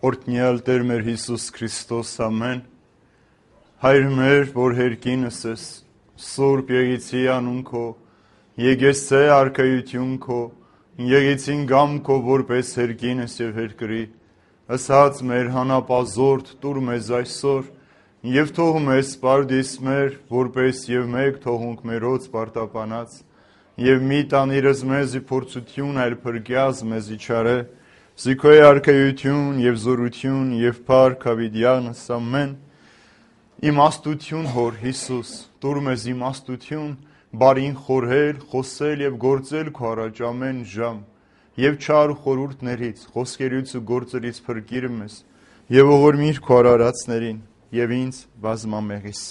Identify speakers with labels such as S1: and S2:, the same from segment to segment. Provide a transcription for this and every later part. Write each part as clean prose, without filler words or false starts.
S1: Օրհնյալ Տեր մեր Հիսուս Քրիստոս, ամեն։ Հայր մեր, որ հերկինս ես, Սուրբ Եղիցի անուն քո, եկեցե արքայություն քո, եկեցին գամ քո, որպես հերկինս եւ հերկրի, ըսած մեր հանապազորդ տուր մեզ այսօր, եւ թող մեզ սպարդիս մեր, որպես եւ մեկ թողունք մերոց պարտապանած, եւ մի տանիրս մեզի փորձություն այլ փրկյազ մեզի չարե, Զիքոյ արքայություն եւ զորություն եւ փառք հավիտյանս ամեն։ Իմաստություն հոր Հիսուս, տուր մեզ իմաստություն, բարին խորհել, խոսել եւ գործել քո առաջ ամեն ժամ, եւ չար խորհուրդներից, խոսքերից ու գործերից փրկիր մեզ, եւ ողորմիր քո արարածներին եւ ինձ բազմամեղիս։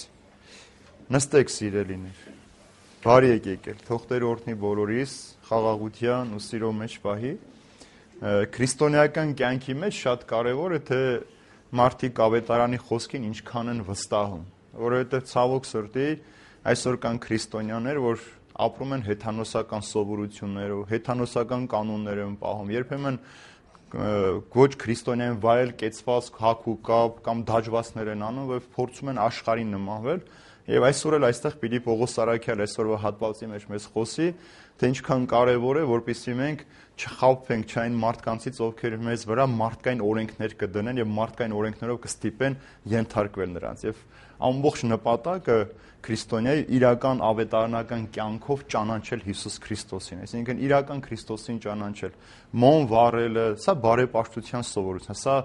S1: Նստեք սիրելիներ, բարի եկեք, թող Տեր օրհնի բոլորիս, խաղաղության ու սիրո մեջ պահի։ Քրիստոնեական կյանքի մեջ շատ կարևոր է, թե մարդիկ ավետարանի խոսքին ինչքան են վստահում, որովհետև ցավոք սրտի այսօր կան քրիստոնյաներ, որ ապրում են հեթանոսական սովորություններով, հեթանոսական կանոններով պահում, երբեմն ոչ քրիստոնեային վայել կեցված հակ ու կապ կամ դաջվածներ են անում, որ փորձում են աշխարհին նմանվել, եւ այսօր էլ այստեղ պիտի Պողոս Սարաքյալ այսօրվա հատվածի մեջ մեզ խոսի, թե ինչքան կարևոր է, որպեսզի մենք չխաբվենք չայն մարդկանցից, ովքեր մեզ վրա մարդկային օրենքներ կդնեն եւ մարդկային օրենքներով կստիպեն ենթարկվել նրանց։ Եվ ամբողջ նպատակը քրիստոնյայի իրական ավետարանական կյանքով ճանաչել Հիսուս Քրիստոսին, այսինքն իրական Քրիստոսին ճանաչել։ Մոն վառելը, սա բարեպաշտության սովորություն, սա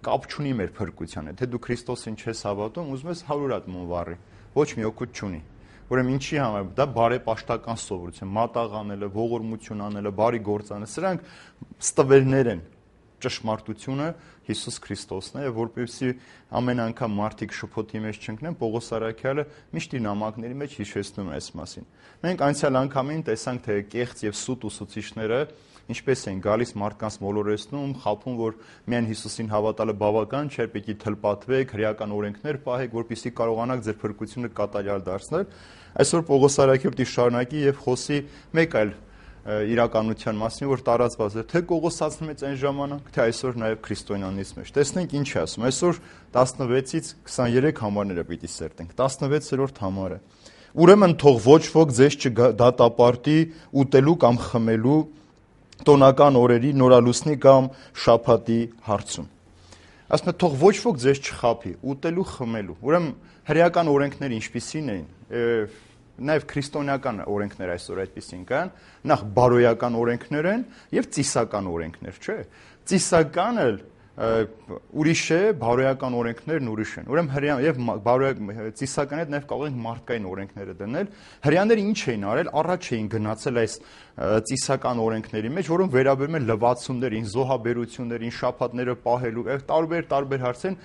S1: կապ չունի մեր փրկության հետ։ Թե դու Քրիստոսին չես հավատում, ուզում ես 100 հատ մոն վառի, ոչ մի օգուտ չունի։ Ուրեմն ինչի համար դա բարեպաշտական սովորություն, մատաղ անելը, ողորմություն անելը, բարի գործ անելը, սրանք ստվերներ են։ Ճշմարտությունը Հիսուս Քրիստոսն է, եւ որպեսզի ամեն անգամ մարդիկ շփոթի մեջ չընկնեն, Պողոս Սարաքյալը միշտ իր նամակների մեջ հիշեցնում է այս մասին։ Մենք անցյալ անգամին տեսանք, թե կեղծ եւ սուտ ուսուցիչները ինչպես են գալիս մարդկանց մոլորեցնում, խաբում, որ միայն Հիսուսին հավատալը բավական չէ, պիտի թլպատվեք, հրեական օրենքներ պահեք, որպեսզի կարողանաք ձեր փրկությունը կատարյալ դարձնել։ Այսօր Պողոս Սարաքյալը շարունակի եւ խոսի մեկ այլ իրականության մասին, որ տարածված է թե Կողոսացնում է այն ժամանակ, թե այսօր նաեւ քրիստոնյանից մեջ։ Տեսնենք ինչ է ասում։ Այսօր 16-ից 23 համարները պիտի սերտենք։ 16-րդ համարը։ Ուրեմն թող ոչ ոք ձեզ չդատապարտի ուտելու կամ խմելու տոնական օրերի, նորալուսնի կամ շաբաթի հարցում։ Ասում է թող ոչ ոք ձեզ չխաբի ուտելու խմելու։ Ուրեմն հրեական օրենքները ինչպիսին էին, նաև քրիստոնեական օրենքներ այսօր այդպիսին կան, նախ բարոյական օրենքներ են եւ ծիսական օրենքներ, չէ՞։ Ծիսականը ուրիշ է, բարոյական օրենքներն ուրիշ են։ Ուրեմն հրեան եւ ծիսական հետ նաև կարող ենք մարդկային օրենքները դնել։ Հրեաները ինչ էին արել, առաջ էին գնացել այս ծիսական օրենքների մեջ, որոնք վերաբերում են լվացումներին, զոհաբերություններին, շաբաթները պահելու, տարբեր հարցեր,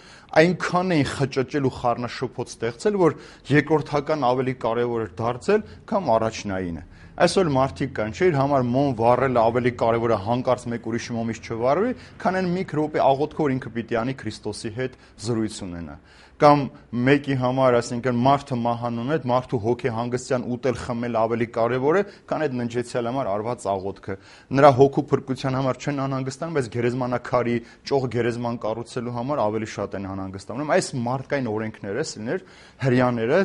S1: այնքան էին խճճել ու խառնաշփոթ ստեղծել, որ երկրորդական ավելի կարևոր էր դարձել, քան առաջնայինը։ Այսօր մարդիկ կան, չէ՞, իր համար մոմ վառելը ավելի կարևոր է հանկարծ մեկ ուրիշի մոմից չվառվի, քան այն մի րոպե աղոթքով ինքը պիտի անի Քրիստոսի հետ զրույց ունենա։ Կամ մեկի համար, ասենք, մարդը մահանում է, մարդու հոգեհանգստյան ուտել խմել ավելի կարևոր է, քան այդ ննջեցյալ համար արված աղոթքը։ Նրա հոգու փրկության համար չեն անհանգստանում, բայց գերեզմանակարի ճոխ գերեզման կառուցելու համար ավելի շատ են անհանգստանում։ Այս մարդկային օրենքները, սիրներ, հրեաները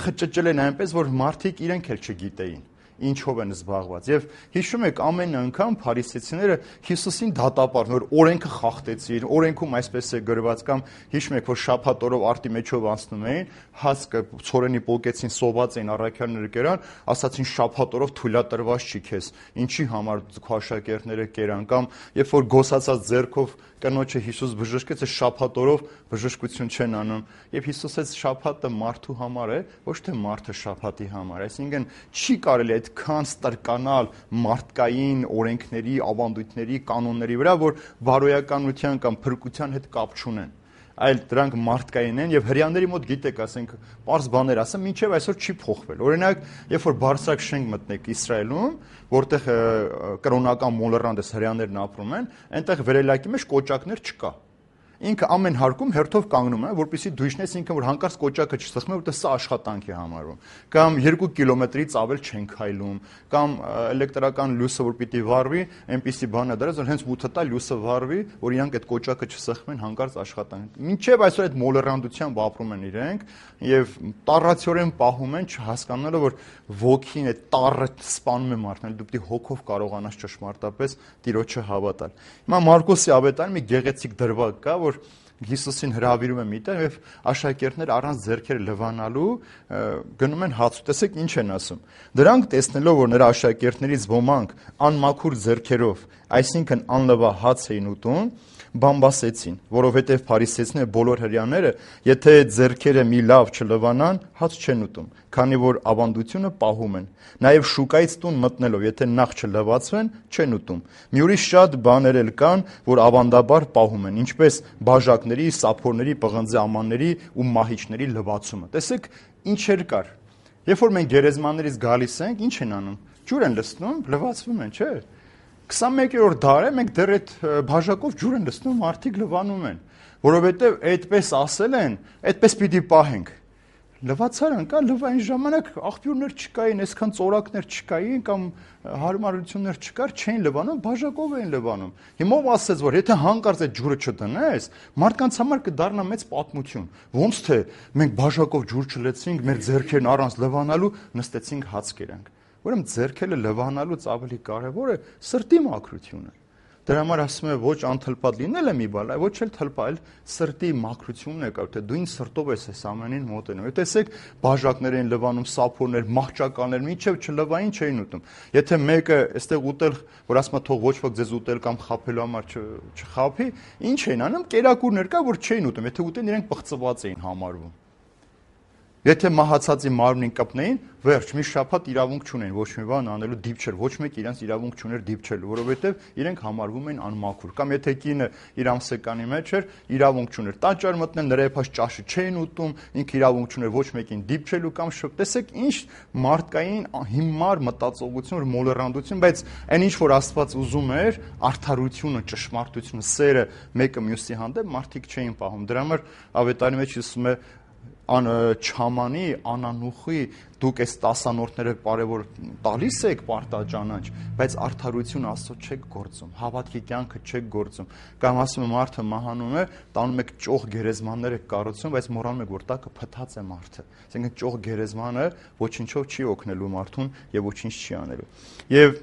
S1: խճճել են այնպես, որ մարդիկ իրենք էլ չգիտեին ինչով են զբաղված։ Եվ հիշում եք ամեն անգամ փարիսեցիները Հիսուսին դատապարտում, որ օրենքը խախտեցին, օրենքում այսպես է գրված, կամ հիշում եք, որ շաբաթ օրով արտի մեջով անցնում էին, հասկը ցորենի պոկեցին, սոված էին առաքյալները կերան, ասացին շաբաթ օրով թույլատրված չի քեզ, ինչի համար քո աշակերտները կերան, կամ երբ որ գոսացած ձեռքով կնոջը Հիսուս բժշկեց, շաբաթ օրով բժշկություն չեն անում, եւ Հիսուս այս շաբաթը մարդու համար է, ոչ թե մարդը շաբաթի համար, այսինքն չի կարելի այդքան ստրկանալ մարդկային օրենքների, ավանդույթների, կանոնների վրա, որ բարոյականության կամ փրկության հետ կապ չունեն, այլ դրանք մարդկային են եւ հրեաների մոտ գիտեք, ասենք, པարզ բաներ ասեմ, մինչեւ այսօր չի փոխվել։ Օրինակ, երբ որ բարձրակ շենք մտնեք Իսրայելում, որտեղ կրոնական մոլեռանդ հրեաներն ապրում են, այնտեղ վերելակի մեջ կոճակներ չկա։ ինքը ամեն հարկում հերթով կանգնում է, որպեսզի դու իջնես ինքը, որ հանկարծ կոճակը չսխմի, որտեղ սա աշխատանք է համարվում։ Կամ 2 կիլոմետրից ավել չեն քայլում, կամ էլեկտրական լույսը որ պիտի վառվի, այնպիսի բան է դրած, որ հենց մութը տա լույսը վառվի, որ իրանք այդ կոճակը չսխմեն, հանկարծ աշխատանք։ Մինչև այսօր այդ մոլեռանդությամբ ապրում են իրենք եւ տառացիորեն պահում են, չհասկանալով որ ոգին այդ տառը սպանում է մարդն, դու պիտի հոգով կարողանաս ճշմարտապես Տիրոջը հավատալ։ Հիմա Մարկոսի ավետարանի մի գեղեցիկ դրվագ կա, որ Հիսուսին հրավիրում է միտեղ եւ աշակերտները առանց ձեռքերը լվանալու գնում են հաց ու տեսեք ինչ են ասում։ Դրանք տեսնելով որ նրա աշակերտներից ոմանք անմաքուր ձեռքերով, այսինքն անլվա հաց էին ուտում, բամբասեցին, որովհետև փարիսեցիները բոլոր հրյաները, եթե ձեռքերը մի լավ չլվանան, հաց չեն ուտում, քանի որ ավանդությունը պահում են։ Նաև շուկայից տուն մտնելով, եթե նախ չլվացվեն, չեն ուտում։ Մի ուրիշ շատ բաներ էլ կան, որ ավանդաբար պահում են, ինչպես բաժակների, սափորների, պղնձի ամանների ու մահիճների լվացումը։ Տեսեք, ինչեր կար։ Երբ որ մենք գերեզմաններից գալիս ենք, ինչ են անում։ Ջուր են լցնում, լվացվում են, չէ՞։ 21-րդ դարը մենք դեռ այդ բաժակով ջուր են լցնում, մարդիկ լվանում են, որովհետև այդպես ասել են, այդպես պիտի պահենք։ Լվացարան կա, լվային ժամանակ աղբյուրներ չկային, այսքան ծորակներ չկային կամ հարմարություններ չկար, չէին լվանում, բաժակով էին լվանում։ Հիմա ով ասեց, որ եթե հանկարծ այդ ջուրը չտնես, մարդկանց համար կդառնա մեծ պատմություն։ Ոնց թե մենք բաժակով ջուր չլեցինք, մեր ձեռքերն առանց լվանալու նստեցինք հաց կերանք։ Ուրեմն ձեռքերը լվանալուց ավելի կարևորը սրտի մաքրությունը։ Դրա համար ասում է ոչ անթլպատ լինելը մի բան, ոչ էլ թլպալ, սրտի մաքրությունն է կար, թե դու ինչ սրտով ես այս ամենին մոտենում։ Եթե տեսեք բաժակներ են լվանում, սափորներ, մահճականներ, մինչև չլվային չէին ուտում։ Եթե մեկը այստեղ ուտել, որ ասում է թող ոչ ոք ձեզ ուտել կամ խաբելու համար չխաբի, ինչ էին անում, կերակուրներ կա, որ չէին ուտում, եթե ուտեն իրենք պղծված էին համարվում։ Եթե մահացածի մարմնին կպնեին, վերջ, մի շաբաթ իրավունք չունեն ոչ մի բան անելու դիպչել, ոչ մեկ իրենց իրավունք չուներ դիպչելու, որովհետև իրենք համարվում են անմաքուր։ Կամ եթե կինը իր ամսեկանի մեջ էր, իրավունք չուներ տաճար մտնել, նրա եփած ճաշը չէին ուտում, ինքը իրավունք չուներ ոչ մեկին դիպչելու կամ տեսեք ինչ մարդկային հիմար մտածողություն, մոլեռանդություն, բայց այն ինչ որ Աստված ուզում էր, արդարությունը, ճշմարտությունը, սերը մեկը մյուսի հանդեպ մարդիկ չէին պահում։ Դրա համար ավետարանի մեջ ասում է չամանի, անանուխի, դուք այս տասանորդները կարևոր տալիս եք պարտաճանաչ, բայց արդարություն Աստծո չեք գործում, հավատքի կյանքը չեք գործում։ Կամ ասում եմ մարդը մահանում է, տանում եք ճոխ գերեզմաններ եք կառուցում, բայց մոռանում եք որ տակը փթած է մարդը։ Այսինքն ճոխ գերեզմանը ոչինչով չի օգնելու մարդուն եւ ոչինչ չի անելու։ Եվ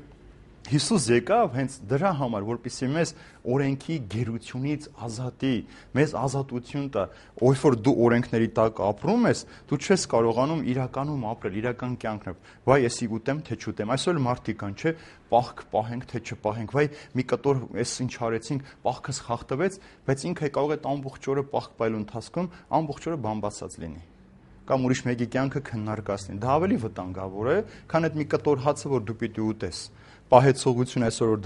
S1: Հիսուս եկավ հենց դրա համար, որպեսզի մեզ օրենքի գերությունից ազատի, մեզ ազատություն տա, ով որ դու օրենքների տակ ապրում ես, դու չես կարողանում իրականում ապրել, իրական կյանքն։ Վայ, եսի ուտեմ, թե չուտեմ։ Այսօր մարդիկ կան, չէ, պահք պահենք, թե չպահենք։ Վայ, մի կտոր էս ինչ արեցինք, պահքս խախտվեց, բայց ինքը կարող է ամբողջ օրը պահք պայելու ընթացքում ամբողջ օրը բամբասած լինի։ Կամ ուրիշ մեկի կյանքը քննարկացնի։ Դա ավելի վտանգավոր է, քան այդ մի կտոր հացը, որ դու պիտի ուտես։ Պահեցողություն այսօր որ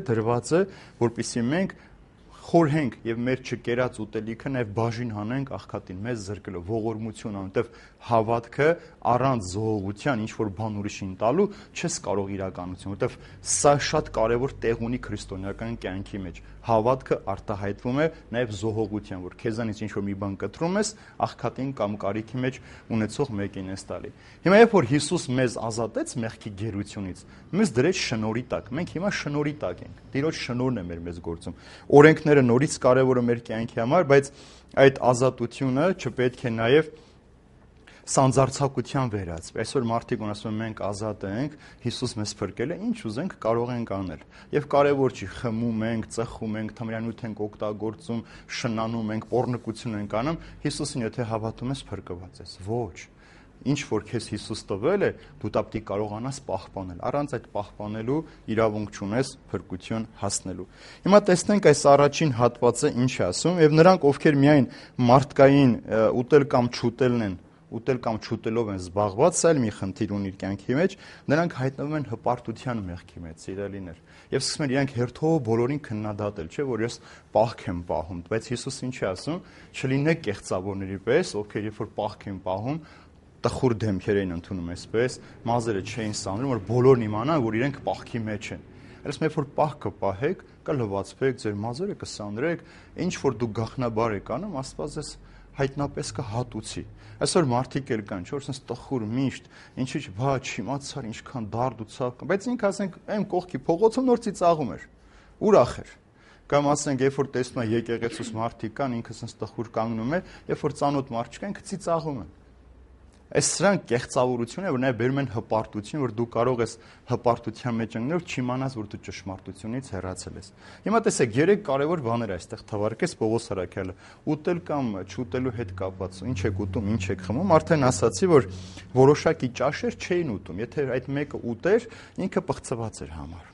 S1: դրված է, որպեսզի մենք խորհենք եւ մեր չկերած ուտելիքը նաեւ բաժին հանենք աղքատին, մեզ զրկելով ողորմություն, որովհետեւ հավատքը առանց զողողության ինչ որ բան ուրիշին տալու չես կարող իրականություն, որովհետեւ սա շատ կարեւոր տեղ ունի քրիստոնեական կյանքի մեջ։ Հավատքը արտահայտվում է նաեւ զողողության, որ քեզանից ինչ որ մի բան կտրում ես, աղքատին կամ կարիքի մեջ ունեցող մեկին ես տալի։ Հիմա երբ որ Հիսուս մեզ ազատեց մեղքի գերությունից, մեզ դրեց շնորհի տակ։ Մենք հիմա շնորհի տակ ենք։ Տիրոջ շնորհն է մեր գործում։ Օրենքները նորից կարևոր է մեր կյանքի համար, բայց այդ ազատությունը չպետք է նաև սանձարձակության վերածվի։ Այսօր մարդիկ ասում են մենք ազատ ենք, Հիսուս մեզ փրկել է, ինչ ուզենք կարող ենք անել։ Եվ կարևոր չի խմում ենք, ծխում ենք, թմրանյութ ենք օգտագործում, շնանում ենք, պոռնկություն ենք անում, Հիսուսին եթե հավատում ես փրկված ես։ Ոչ։ Ինչ որ քեզ Հիսուս տվել է, դու դա պիտի կարողանաս պահպանել։ Առանց այդ պահպանելու իրավունք չունես փրկություն հասնելու։ Հիմա տեսնենք այս առաջին հատվածը ինչ է ասում, եւ նրանք ովքեր միայն մարդկային ուտել կամ չուտելն են, ուտել կամ չուտելով են զբաղված, սա էլ մի խնդիր ունի իր կյանքի մեջ, նրանք հայտնվում են հպարտության մեղքի մեջ, սիրելիներ։ Եւ սկսում են իրենք հերթով բոլորին քննադատել, չէ՞ որ ես պահք եմ պահում, բայց Հիսուս ինչ է ասում, չլինեք կեղծավորների պես, ովքեր երբ որ պահք են պահում, տխուր դեմքեր էին ընդունում այսպես, մազերը չէին սանրում, որ բոլորն իմանան, որ իրենք պահքի մեջ են։ Այսինքն, երբ որ պահքը պահեք, կլվացվեք, ձեր մազերը կսանրեք, ինչ որ դու գախնաբար եք անում, Աստված ես հայտնապես կհատուցի։ Այսօր մարդիկ էլ կան, չէ՞, որ sense տխուր միշտ, ինչի՞ բա չիմացար, ինչքան դարդ ու ցավ կա, բայց ինքը ասենք այն կողքի փողոցում նոր ծիծաղում էր, ուրախ էր։ Կամ ասենք, երբ որ տեսնում է եկեղեցուց մարդիկ կան, ինքը sense տխուր կանգնում է, երբ որ ծանոթ մարդ չկա, ինքը ծիծաղում է։ Այս սրանք կեղծավորություն է, որ նաև բերում են հպարտություն, որ դու կարող ես հպարտության մեջ ընկնել, չիմանաս, որ դու ճշմարտությունից հեռացել ես։ Հիմա տեսեք, 3 կարևոր բաներ այստեղ թվարկես Պողոս Արաքյալը՝ ուտել կամ չուտելու հետ կապված։ Ինչ եք ուտում, ինչ եք խմում, արդեն ասացի, որ որոշակի ճաշեր չէին ուտում։ Եթե այդ մեկը ուտեր, ինքը պղծված էր համար։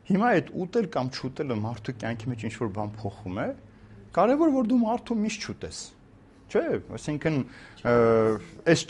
S1: Հիմա այդ ուտել կամ չուտելը մարդու կյանքի մեջ ինչ-որ բան փոխում է, կարևոր որ դու մարդու միշտ չուտես։ Չէ, այսինքն այս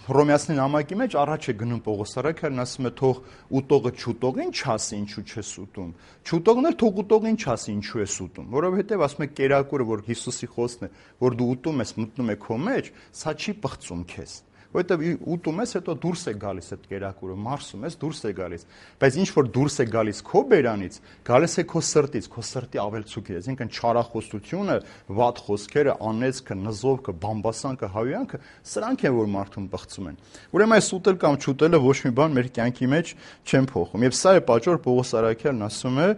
S1: Հռոմեացի նամակի մեջ առաջ է գնում Պողոս Արաքյալն, ասում է թող ուտողը չուտողին չասի ինչու չես ուտում, չուտողն էլ թող ուտողին չասի ինչու ես ուտում, որովհետև ասում է կերակուրը, որ Հիսուսի խոսքն է, որ դու ուտում ես, մտնում է քո մեջ, սա չի պղծում քեզ, որովհետև ուտում ես, հետո դուրս է գալիս այդ կերակուրը, մարսում ես, դուրս է գալիս, բայց ինչ որ դուրս է գալիս քո բերանից, գալիս է քո սրտից, քո սրտի ավելցուկից, այսինքն չարախոսությունը, վատ խոսքերը, անեծքը, նզովքը, բամբասանքը, հավյանքը, սրանք են, որ մարդուն պղծում են։ Ուրեմն այս ուտել կամ չուտելը ոչ մի բան մեր կյանքի մեջ չեն փոխում։ Եվ սա է պատճառը, Պողոս Արաքյալն ասում է,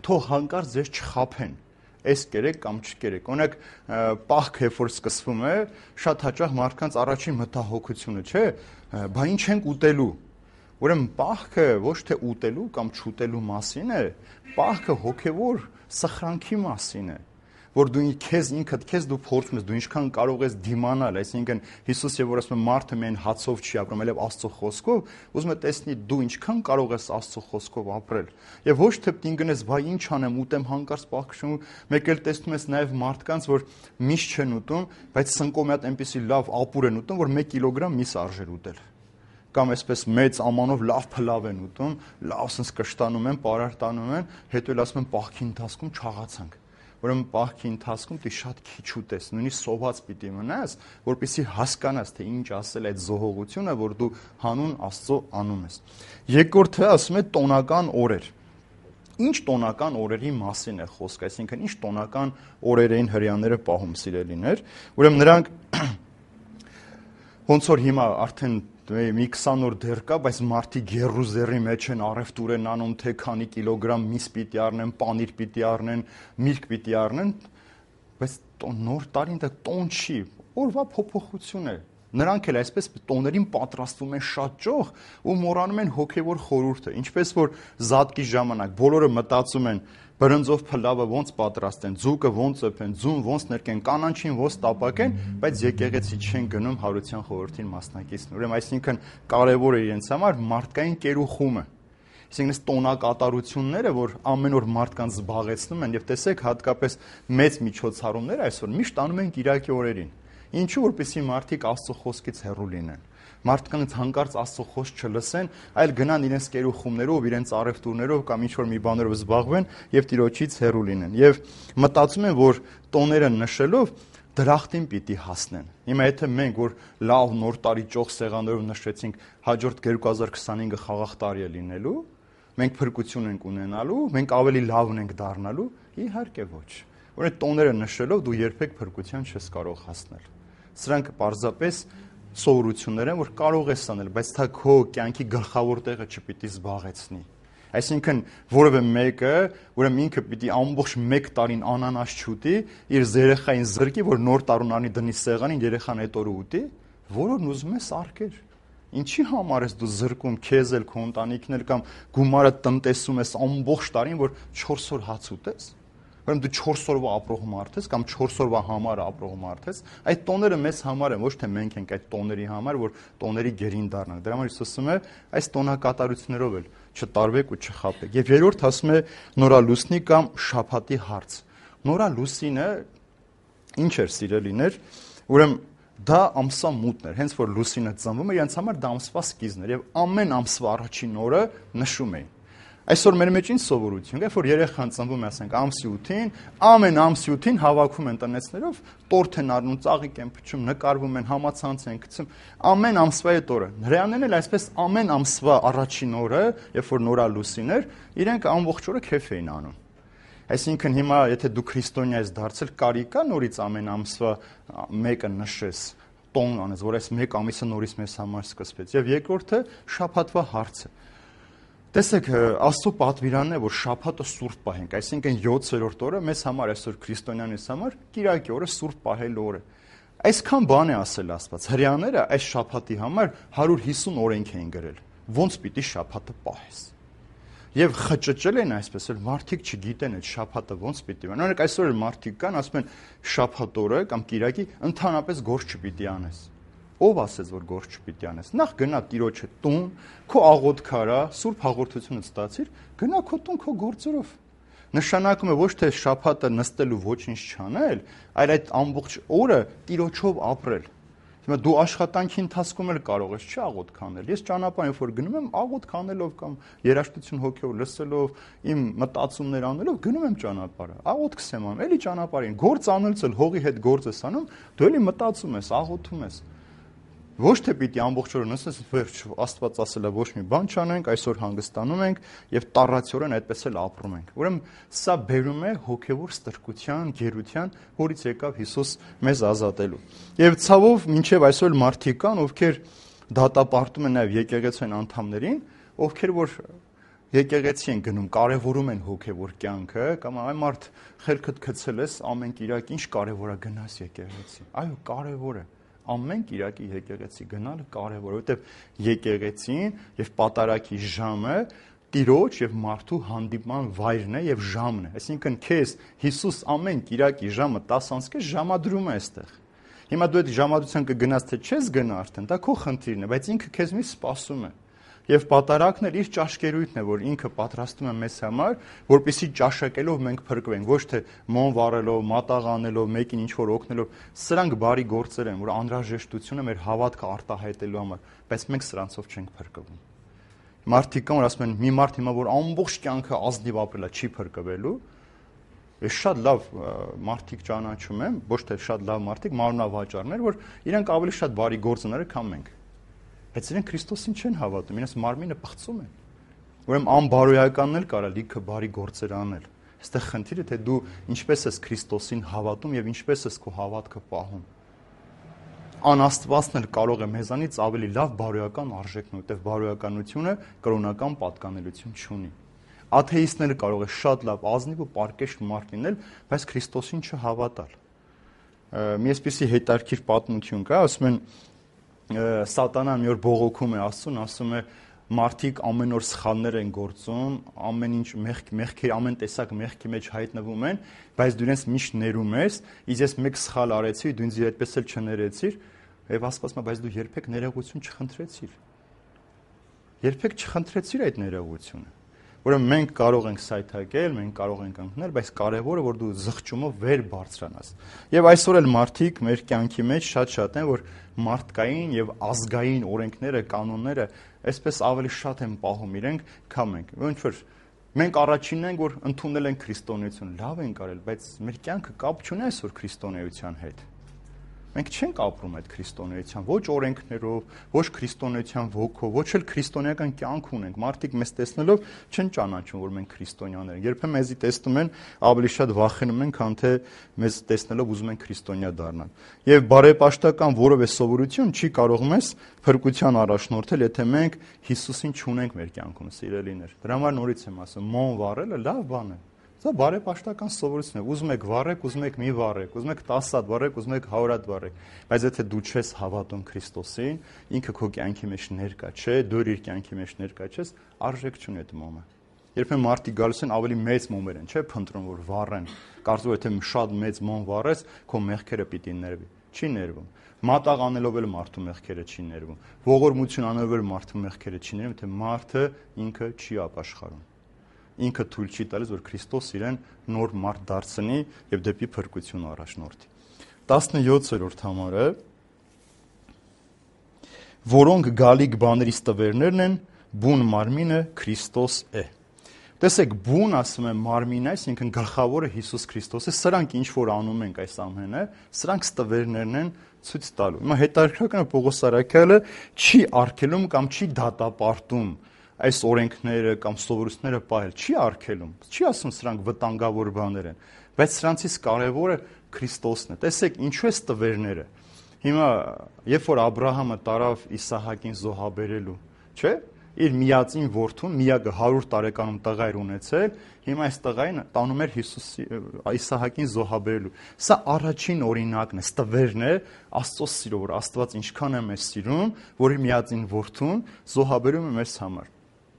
S1: թող հանկարծ ձեզ չխաբեն։ Այս կերեք կամ չկերեք։ Օրինակ, պահքը, երբ որ սկսվում է, շատ հաճախ մարդկանց առաջին մտահոգությունը, չէ՞, բա ինչ ենք ուտելու։ Ուրեմն պահքը ոչ թե ուտելու կամ չուտելու մասին է, պահքը հոգևոր սխրանքի մասին է, որ դու քեզ դու փորձում ես, դու ինչքան կարող ես դիմանալ, այսինքն Հիսուսը որ ասում է մարդը միայն հացով չի ապրում, այլև Աստծո խոսքով, ուզում է տեսնի դու ինչքան կարող ես Աստծո խոսքով ապրել։ Եվ ոչ թե դին գնես, բա ինչ անեմ, ուտեմ հանկարծ պահքշում, մեկ էլ տեսնում ես նաև մարդկանց, որ միշտ չեն ուտում, բայց սնկոմի հատ այնպեսի լավ ապուր են ուտում, որ 1 կիլոգրամ միս արժեր ուտել։ Կամ այսպես մեծ ամանով լավ փլավ են ուտում, լավ sense կշտանում են, պարարտանում են, հետո էլ ասում են պահքի ընթացքում չաղացանք։ Ուրեմն պահքի ընթացքում դու շատ քիչ ուտես, նույնիսկ սոված պիտի մնաս, որպեսզի հասկանաս, թե ինչ ասել այդ զոհողությունը, որ դու հանուն Աստծո անում ես։ Երկրորդը ասում է տոնական օրեր։ Ինչ տոնական օրերի մասին է խոսքը, այսինքն ինչ տոնական օրեր էին հրեաները պահում, սիրելիներ։ Ուրեմն նրանք ոնց որ հիմա արդեն մի 20 օր դեռ կա, բայց մարդիկ գերուզերի մեջ են առևտուր են անում, թե քանի կիլոգրամ միս պիտի առնեն, պանիր պիտի առնեն, միրգ պիտի առնեն, բայց նոր տարին դա տոն չի, օրվա փոփոխություն է։ Նրանք էլ այսպես տոներին պատրաստվում են շատ ճոխ ու մոռանում են հոգևոր խորհուրդը, ինչպես որ զատկի ժամանակ բոլորը մտածում են բրնձով փլավը ոնց պատրաստեն, ձուկը ոնց ըփեն, ձուն ոնց ներկեն, կանանչին ոնց տապակեն, բայց եկեղեցի չեն գնում հարության խորհրդին մասնակիցն։ Ուրեմն այսինքն կարևոր է իրենց համար մարդկային կերուխումը։ Այսինքն տոնակատարությունները, որ ամեն օր մարդկանց զբաղեցնում են, եւ տեսեք հատկապես մեծ միջոցառումները այսօր միշտ անում են Կիրակի օրերին։ Ինչու, որպեսզի մարդիկ Աստծո խոսքից հեռու լինեն։ Մարդկանց հանկարծ Աստծո խոսք չլսեն, այլ գնան իրենց կերուխումներով, իրենց առևտուրներով կամ ինչ-որ մի բաներով զբաղվեն եւ Տիրոջից հեռու լինեն։ Եվ մտածում են, որ տոները նշելով դրախտին պիտի հասնեն։ Հիմա եթե մենք որ լավ նոր տարի ճոխ սեղաններով նշեցինք, հաջորդ 2025-ը խաղաղ տարի է լինելու, մենք փրկություն ենք ունենալու, մենք ավելի լավն ենք դառնալու, իհարկե ոչ։ Որը տոները նշելով դու երբեք փրկության չես կարող հասնել։ Սրանք պարզապես սովորություններ են, որ կարող ես անել, բայց դա քո կյանքի գլխավոր տեղը չպիտի զբաղեցնի։ Այսինքն որևէ մեկը, ուրեմն ինքը պիտի ամբողջ 1 տարին անանաս չուտի, իր երեխային զրկի, որ նոր տարուն անի դնի սեղանին, երեխան այդ օրը ուտի, որն ուզում ես արկեր։ Ինչի համար ես դու զրկում քեզ էլ, քո ընտանիքն էլ կամ գումարը տնտեսում ես ամբողջ տարին, որ 4 օր հաց ուտես։ Ուրեմն դու 4 օրվա ապրող մարդ ես կամ 4 օրվա համար ապրող մարդ ես, այդ տոները մեզ համար են, ոչ թե մենք ենք այդ տոների համար, որ տոների գերին դառնանք։ Դրա համար Հիսուսը ասում է, այս տոնակատարություններով էլ չտարվեք ու չխաբեք։ Եվ երրորդ ասում է նորալուսնի կամ շաբաթի հարց։ Նորալուսինը ինչ էր, սիրելիներ, ուրեմն դա ամսվա մութն էր, հենց որ լուսինը ծնվում է, իրենց համար դա ամսվա սկիզբն էր եւ ամեն ամսվա առաջին օրը նշում էին։ Այսօր մեր մեջ ինչ սովորություն կա, որ երեխան ծնվում է, ասենք, ամսի 8-ին, ամեն ամսի 8-ին հավաքում են տնեցներով, տորթ են առնում, ծաղիկ են փչում, նկարվում են, համացանց են գցում, ամեն ամսվա այդ օրը։ Հրեաներն էլ այսպես ամեն ամսվա առաջին օրը, երբ որ նորա լուսին էր, իրենք ամբողջ օրը քեֆ էին անում։ Այսինքն հիմա եթե դու քրիստոնյա ես դարձել, կարիք կա նորից ամեն ամսվա մեկը նշես, տոն անես, որ այս մեկ ամիսը նորից մեզ համար սկսվեց։ Եվ երկրորդը շաբաթվա հարցը։ Տեսեք, Աստծո պատվիրանն է, որ շաբաթը սուրբ պահենք, այսինքն 7-րդ օրը մեզ համար այսօր քրիստոնյանից համար կիրակի օրը սուրբ պահել օրը։ Այսքան բան է ասել Աստված։ Հրեաները այս շաբաթի համար 150 օրենք էին գրել։ Ոնց պիտի շաբաթը պահես։ Եվ խճճել են այսպես, որ մարդիկ չգիտեն այդ շաբաթը ոնց պիտի բան։ Օրինակ այսօր էլ մարդիկ կան, ասում են շաբաթ օրը կամ կիրակի ընդհանրապես գործ չպիտի անես։ Ով ասեց, որ գործ չպիտի անես։ Նախ գնա Տիրոջը տուն, քո աղոթք արա, սուրբ հաղորդությունը ստացիր, գնա քո տուն քո գործերով։ Նշանակում է ոչ թե շաբաթը նստելու ոչինչ չանել, այլ այդ ամբողջ օրը Տիրոջով ապրել։ Հիմա դու աշխատանքի ընթացքում էլ կարող ես աղոթք անել։ Ես ճանապարհին որ գնում եմ, աղոթք անելով կամ երաժշտություն հոգեով լսելով, իմ մտածումներ անելով գնում եմ ճանապարհը։ Աղոթքս եմ անում, էլի ճանապարհին գործ անելուց էլ հողի հետ գործ ես անում, դու էլի մտածում ես, աղոթում ես։ Ոչ թե պիտի ամբողջ օրը նստես, վերջ, Աստված ասել է ոչ մի բան չանենք, այսօր հանգստանում ենք եւ տառացիորեն այդպես էլ ապրում ենք։ Ուրեմն սա բերում է հոգեվոր ստրկության, գերության, որից եկավ Հիսուս մեզ ազատելու։ Եվ ցավով մինչեւ այսօր մարդիկ կան, ովքեր դատապարտում են նաեւ եկեղեցին անդամներին, ովքեր որ եկեղեցի են գնում, կարևորում են հոգեվոր կյանքը, կամ այ մարդ խելքդ գցել ես ամեն կիրակ, ինչ կարևոր է գնաս եկեղեցի։ Այո, կարևոր է։ Ամեն կիրակի եկեղեցի գնալը կարևոր է, որովհետև եկեղեցին եւ պատարագի ժամը Տիրոջ եւ մարդու հանդիպման վայրն է եւ ժամն է։ Այսինքն քեզ Հիսուս ամեն կիրակի ժամը 10:00 ժամադրում է այստեղ։ Հիմա դու այդ ժամադրության կգնաս թե չես գնա արդեն, դա քո խնդիրն է, բայց ինքը քեզ մի սպասում է։ Եվ պատարագն էլ իր ճաշկերույթն է, որ ինքը պատրաստում է մեզ համար, որպեսզի ճաշակելով մենք փրկվենք, ոչ թե մոն վառելով, մատաղ անելով, մեկին ինչ-որ օգնելով, սրանք բարի գործեր են, որ անհրաժեշտությունը մեր հավատքը արտահայտելու համար, բայց մենք սրանցով չենք փրկվում։ Մարդիկ կան, որ ասում են, մի մարդ հիմա որ ամբողջ կյանքը ազնիվ ապրել է, չի փրկվելու։ Ես շատ լավ մարդիկ ճանաչում եմ, ոչ թե շատ լավ մարդիկ, մարմնավաճառներ, որ իրենք ավելի շատ բարի գործներ քան մենք։ Բայց իրենք Քրիստոսին չեն հավատում, իրենց մարմինը պղծում են։ Ուրեմն անբարոյականն էլ կարա լիքը բարի գործեր անել։ Այստեղ խնդիրը թե դու ինչպես ես Քրիստոսին հավատում եւ ինչպես ես քո հավատքը պահում։ Անաստվածն էլ կարող է մեզանից ավելի լավ բարոյական արժեքն, որտեղ բարոյականությունը կրոնական պատկանելություն չունի։ Աթեիստն էլ կարող է շատ լավ ազնիվ ու պարկեշտ մարդ լինել, բայց Քրիստոսին չհավատալ։ Մի այսպիսի հետարքիր պատմություն կա, ասում են Սատանան մի օր բողոքում է Աստծուն, ասում է մարդիկ ամեն օր սխալներ են գործում, ամեն ինչ մեղքի, ամեն տեսակ մեղքի մեջ հայտնվում են, բայց դու իրենց միշտ ներում ես, իսկ ես մեկ սխալ արեցի, դու ինձ այդպես էլ չներեցիր, եւ Աստված ասում է, բայց դու երբեք ներողություն չխնդրեցիր։ Երբեք չխնդրեցիր այդ ներողությունը։ Ուրեմն մենք կարող ենք սայթակել, մենք կարող ենք ընկնել, բայց կարևորը որ դու զղջումով վեր բարձրանաս։ Եվ այսօր էլ մարդիկ մեր կյանքի մեջ շատ են, որ մարդկային եւ ազգային օրենքները, կանոնները այսպես ավելի շատ են պահում իրենք, քան մենք։ Ոնց որ մենք առաջինն ենք, որ ընդունել են քրիստոնեություն, լավ են կարել, բայց մեր կյանքը կապ չունի այսօր քրիստոնեության հետ։ Մենք չենք ապրում այդ քրիստոնեության, ոչ օրենքներով, ոչ քրիստոնեության ոգով, ոչ էլ քրիստոնեական կյանք ունենք։ Մարդիկ մեզ տեսնելով չեն ճանաչում, որ մենք քրիստոնյաներ ենք։ Երբեմն մեզի տեսնում են, ավելի շատ վախենում են, քան թե մեզ տեսնելով ուզում են քրիստոնյա դառնալ։ Եվ բարեպաշտական որևէ սովորություն չի կարող մեզ փրկության առաջնորդել, եթե մենք Հիսուսին չունենք մեր կյանքում, սիրելիներ։ Դրա համար նորից եմ ասում, մոն վառելը լավ բան է։ Սա բարեպաշտական սովորություն է։ Ուզում եք վառեք, ուզում եք մի վառեք, ուզում եք 10 հատ վառեք, ուզում եք 100 հատ վառեք։ Բայց եթե դու չես հավատում Քրիստոսին, ինքը քո կյանքի մեջ ներկա չէ, դու իր կյանքի մեջ ներկա չես, արժեք չունի այդ մոմը։ Երբեմն մարդիկ գալիս են ավելի մեծ մոմեր են, չէ՞, փնտրում որ վառեն։ Կարծում եթե շատ մեծ մոմ վառես, քո մեղքերը պիտի ներվի։ Չի ներվում։ Մատաղ անելով էլ մարդու մեղքերը չի ներվում։ Ողորմություն անելով էլ մարդու մեղքերը չի ներվում, թե մարդը ինքը չի ապաշխարում։ Ինքը թույլ չի տալիս, որ Քրիստոս իրեն նոր մարդ դարձնի եւ դեպի փրկություն առաջնորդի։ 17-րդ համարը, որոնք գալիք բաների ստվերներն են, բուն մարմինը Քրիստոս է։ Տեսեք, բուն ասում եմ մարմինը, այսինքն գլխավորը Հիսուս Քրիստոսը, սրանք ինչ որ անում ենք այս ամենը, սրանք ստվերներն են ցույց տալու։ Հիմա հետաքրքրական է Պողոս Արաքյալը չի արգելում կամ չի դատապարտում այս օրենքները կամ սովորությունները պահել, չի արգելում, չի ասում սրանք վտանգավոր բաներ են, բայց սրանցից կարևորը Քրիստոսն է։ Տեսեք, ինչու է ստվերները։ Հիմա երբ որ Աբրահամը տարավ Իսահակին զոհաբերելու, չէ՞, իր միածին որդուն, միակը 100 տարեկանում տղա էր ունեցել, հիմա այս տղային տանում էր Իսահակին զոհաբերելու։ Սա առաջին օրինակն է, ստվերն է Աստծո սիրո, որ Աստված ինչքան է մեզ սիրում, որ իր միածին որդուն զոհաբերում է մեզ համար։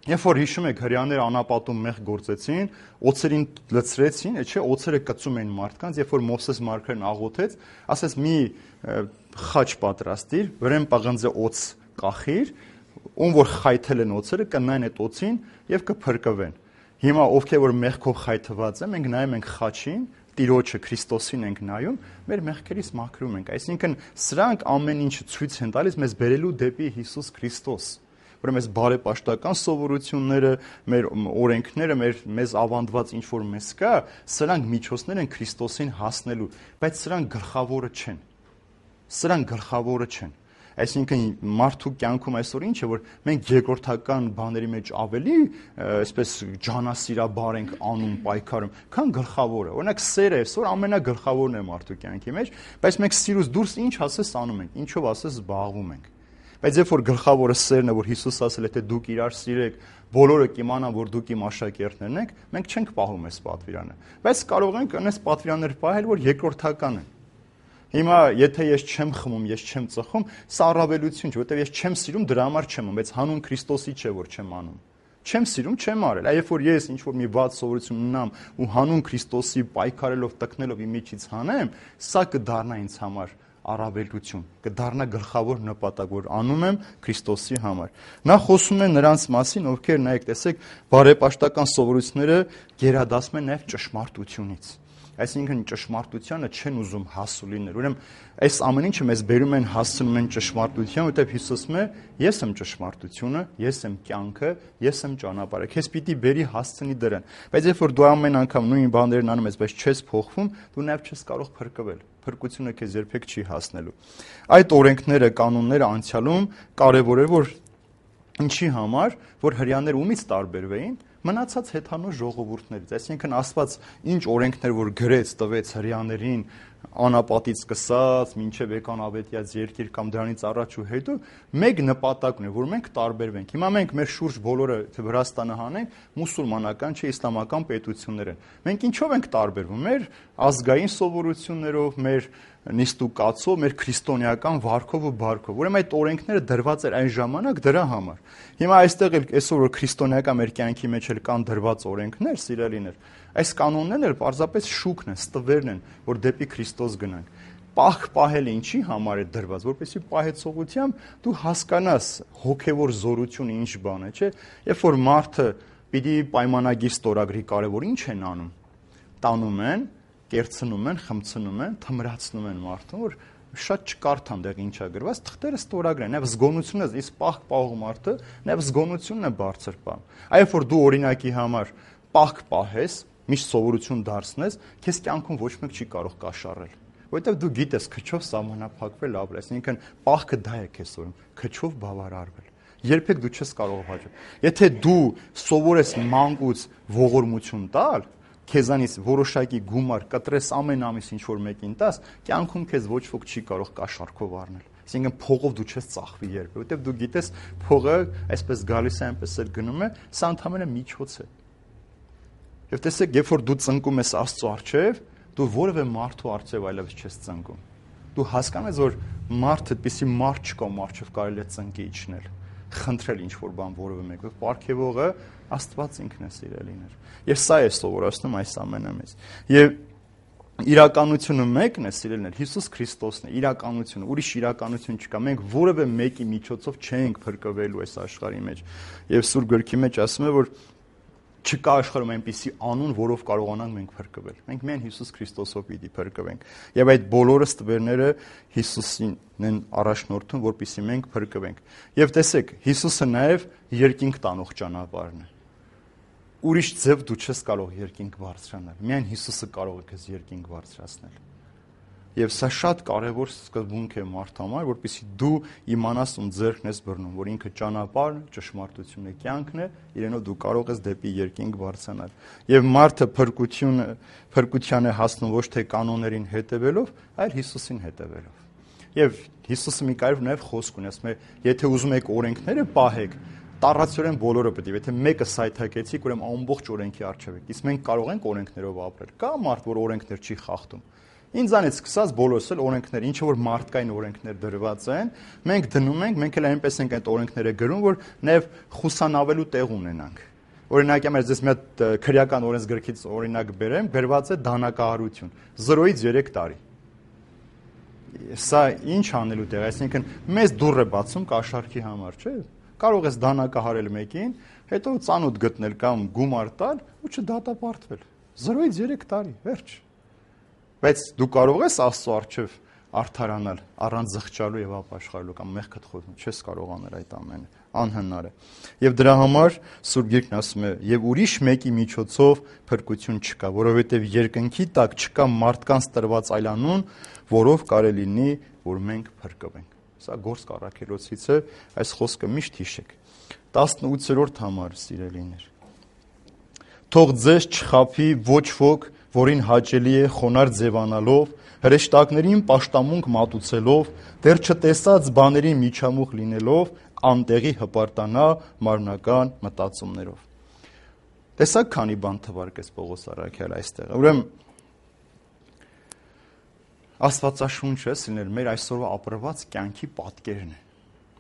S1: Երբ որ հիշում եք հрьяաները անապատում մեղ գործեցին, օծերին լցրեցին, չէ, օծերը կծում էին մարդկանց, երբ որ Մովսես մարգարեն աղոթեց, ասեց մի խաչ պատրաստիր, վրան պղնձե օծ կախիր, ում որ խայթել են օծերը կնային այդ օծին եւ կփրկվեն։ Հիմա ովքեր որ մեղքով խայթված են, մենք նայում ենք խաչին, Տիրոջը Քրիստոսին ենք նայում, մեր մեղքերից մաքրում ենք։ Այսինքն սրանք ամեն ինչը ցույց են տալիս մեզ բերելու դեպի Հիսուս Քրիստոս։ Ուրեմն այս բարեպաշտական սովորությունները, մեր օրենքները, մեզ ավանդված ինչ որ մեզ կա, սրանք միջոցներ են Քրիստոսին հասնելու, բայց սրանք գլխավորը չեն։ Սրանք գլխավորը չեն։ Այսինքն մարդու կյանքում այսօր ինչ է, որ մենք երկրորդական բաների մեջ ավելի այսպես ջանասիրաբար ենք անում, պայքարում, քան գլխավորը։ Օրինակ սերը այսօր ամենագլխավորն է մարդու կյանքի մեջ, բայց մենք սիրուց դուրս ինչ ասես անում ենք, ինչով ասես զբաղվում ենք։ Բայց երբ որ գլխավորը սերն է, որ Հիսուս ասել է, թե դուք իրար սիրեք, բոլորը կիմանան, որ դուք իմ աշակերտներն եք, մենք չենք պահում այս պատվիրանը։ Բայց կարող ենք այս պատվիրանները պահել, որ երկրորդական են։ Հիմա եթե ես չեմ խմում, ես չեմ ծխում, սա առավելություն չէ, որովհետև ես չեմ սիրում, դրա համար չեմ անում, բայց հանուն Քրիստոսի չէ, որ չեմ անում։ Չեմ սիրում, չեմ արել։ Այ երբ որ ես ինչ որ մի բաց սովորություն ունենամ ու հանուն Քրիստոսի պայքարելով, տկնելով իմ միջից հանեմ, սա կդառնա ինձ համար առավելություն, կդառնա գլխավոր նպատակ, որ անում եմ Քրիստոսի համար։ Նա խոսում է նրանց մասին, ովքեր նայեք, տեսեք, բարեպաշտական սովորությունները գերադասում են նաև ճշմարտությունից։ Այսինքն ճշմարտությանը չեն ուզում հասու լինել։ Ուրեմն այս ամեն ինչը մեզ բերում են հասցնում են ճշմարտության, որտեղ Հիսուսն է, ես եմ ճշմարտությունը, ես եմ կյանքը, ես եմ ճանապարհը։ Քեզ պիտի բերի հասցնի դրան։ Բայց երբ որ դու ամեն անգամ նույն բաներն անում ես, բայց չես փոխվում, դու նաև չես կարող փրկվել։ Փրկությունը քեզ երբեք չի հասնելու։ Այդ օրենքները, կանոնները անցյալում կարևոր է, որ ինչի համար, որ հрьяաները ումից տարբերվեին, մնացած հեթանոց ժողովուրդներից, այսինքն Աստված ինչ օրենքներ որ գրեց, տվեց հрьяաներին անապատից սկսած, մինչև եկան ավետյաց երկիր կամ դրանից առաջ ու հետո, մեկ նպատակն է, որ մենք տարբերվենք։ Հիմա մենք մեր շուրջ բոլորը, թե Վրաստանը հանենք, մուսուլմանական չէ, իսլամական պետություններ են։ Մենք ինչով ենք տարբերվում։ Մեր ազգային սովորություններով, մեր նիստուկացով, մեր քրիստոնեական վարքով ու բարքով։ Ուրեմն այդ օրենքները դրված էր այն ժամանակ դրա համար։ Հիմա այստեղ էլ այսօր որ քրիստոնեական մեր կյանքի մեջ էլ կան դրված օրենքներ, սիրելիներ, այս կանոններն էլ պարզապես շուկն են, ստվերն են, որ դեպի Քրիստոս գնանք։ Պահք պահելը ինչի համար է դրված, որպեսզի պահեցողությամբ դու հասկանաս հոգևոր զորությունը ինչ բան է, չէ՞։ Երբ որ մարդը պիտի պայմանագիր ստորագրի կարևոր ինչ են անում, տանում են, կերցնում են, խմցնում են, թմրացնում են մարդուն, որ շատ չկարդան դեղ ինչա գրված, թղթերը ստորագրեն, նաև զգոնությունը, իսկ պահք պահող մարդը, նաև զգոնությունն է բարձր բան։ Այո, որ դու օրինակի համար պահք պահես, միշտ սովորություն դարձնես, քեզ կյանքում ոչ մեկ չի կարող կաշառել։ Որովհետև դու գիտես քչով սահմանափակվել ապրել, այսինքն պահքը դա է քեզ սորում, քչով բավարարվել։ Երբեք դու չես կարող հաջող։ Եթե դու սովորես մանկուց ողորմություն տալ, քեզանից որոշակի գումար կտրես ամեն ամիս ինչ որ մեկին տաս, կյանքում քեզ ոչ ոք չի կարող կաշառքով առնել։ Այսինքն փողով դու չես ծախվի երբեք, որովհետև դու գիտես փողը այսպես գալիս է, այնպես էլ գնում է, սա ընդհանրապես միջոց է։ Եվ տեսեք, երբ որ դու ծնկում ես Աստծո առջև, դու որևէ մարդու առջև այլևս չես ծնկում։ Դու հասկանում ես, որ մարդը, այդպիսի մարդ չկա, մարդով կարելի է ծնկի իջնել, խնդրել ինչ որ բան որևէ մեկը, պարգևողը Աստված ինքն է, սիրելիներ։ Եվ սա է սովորացնում այս ամենը մեզ։ Եվ իրականությունը մեկն է, սիրելիներ, Հիսուս Քրիստոսն է, իրականությունը, ուրիշ իրականություն չկա։ Մենք որևէ մեկի միջոցով չենք փրկվելու այս աշխարհի մեջ։ Եվ Սուրբ Գրքի մեջ ասում է, որ չկա աշխարհում այնպիսի անուն, որով կարողանանք մենք փրկվել։ Մենք միայն Հիսուս Քրիստոսով պիտի փրկվենք։ Եվ այդ բոլորը ստվերները Հիսուսին են առաջնորդում, որպեսզի մենք փրկվենք։ Եվ տեսեք, Հիսուսը նաև երկինք տանող ճանապարհն է։ ուրիշ ձև դու չես կարող երկինք բարձրանալ։ Միայն Հիսուսը կարող է քեզ երկինք բարձրացնել։ Եվ սա շատ կարևոր սկզբունք է մարդ համար, որպեսզի դու իմանաս ում ձեռքն ես բռնում, որ ինքը ճանապարհն, ճշմարտությունը, կյանքն է, իրենով դու կարող ես դեպի երկինք բարձրանալ։ Եվ մարդը փրկության է հասնում ոչ թե կանոններին հետևելով, այլ Հիսուսին հետևելով։ Եվ Հիսուսը մի կարևոր նաև խոսք ունի, ասում է, եթե ուզում եք օրենքները պահեք, տառացիորեն բոլորը պետք է, եթե մեկը սայթակեցիք, ուրեմն ամբողջ օրենքի առջև եք։ Իսկ մենք կարող ենք օրենքներով ապրել։ Կա մարդ, որ օրենքներ չի խախտում։ Ինձանից սկսած բոլորս էլ օրենքներ, ինչ որ մարդկային օրենքներ դրված են, մենք դնում ենք, մենք էլ այնպես ենք այդ օրենքները գրում, որ նաև խուսանավելու տեղ ունենանք։ Օրինակ, ես ձեզ մի հատ քրեական օրենսգրքից օրինակ բերեմ, գրված է դանակահարություն 0-ից 3 տարի։ Սա ինչ անելու տեղ, այսինքն մեզ դուռ է բացում կաշառքի համար, չէ՞։ Կարող ես դանակահարել մեկին, հետո ծանոթ գտնել կամ գումար տալ ու չդատապարտվել։ 0-ից 3 տարի, վերջ։ Բայց դու կարող ես Աստծո առջև արդարանալ առանց զղջալու եւ ապաշխարելու կամ մեղքդ խոթում, չես կարող անել այդ ամենը, անհնար է։ Եվ դրա համար Սուրբ Գիրքն ասում է, եւ ուրիշ մեկի միջոցով փրկություն չկա, որովհետեւ երկնքի տակ չկա մարդկանց տրված այլանուն, որով կարելի լինի, որ մենք փրկվենք։ Սա Գործք առաքելոցից է, այս խոսքը միշտ հիշեք։ 18-րդ համար, սիրելիներ։ Թող ձեզ չխաբի ոչ ոք, որին հաճելի է խոնարհ ձևանալով, հրեշտակներին պաշտամունք մատուցելով, դեռ չտեսած բաների միջամուխ լինելով, անտեղի հպարտանա մարմնական մտածումներով։ Տեսակ քանի բան թվարկեց Պողոս առաքյալը այստեղ։ Ուրեմն Աստվածաշունչը սիրել մեր այսօրվա ապրված կյանքի պատկերն է։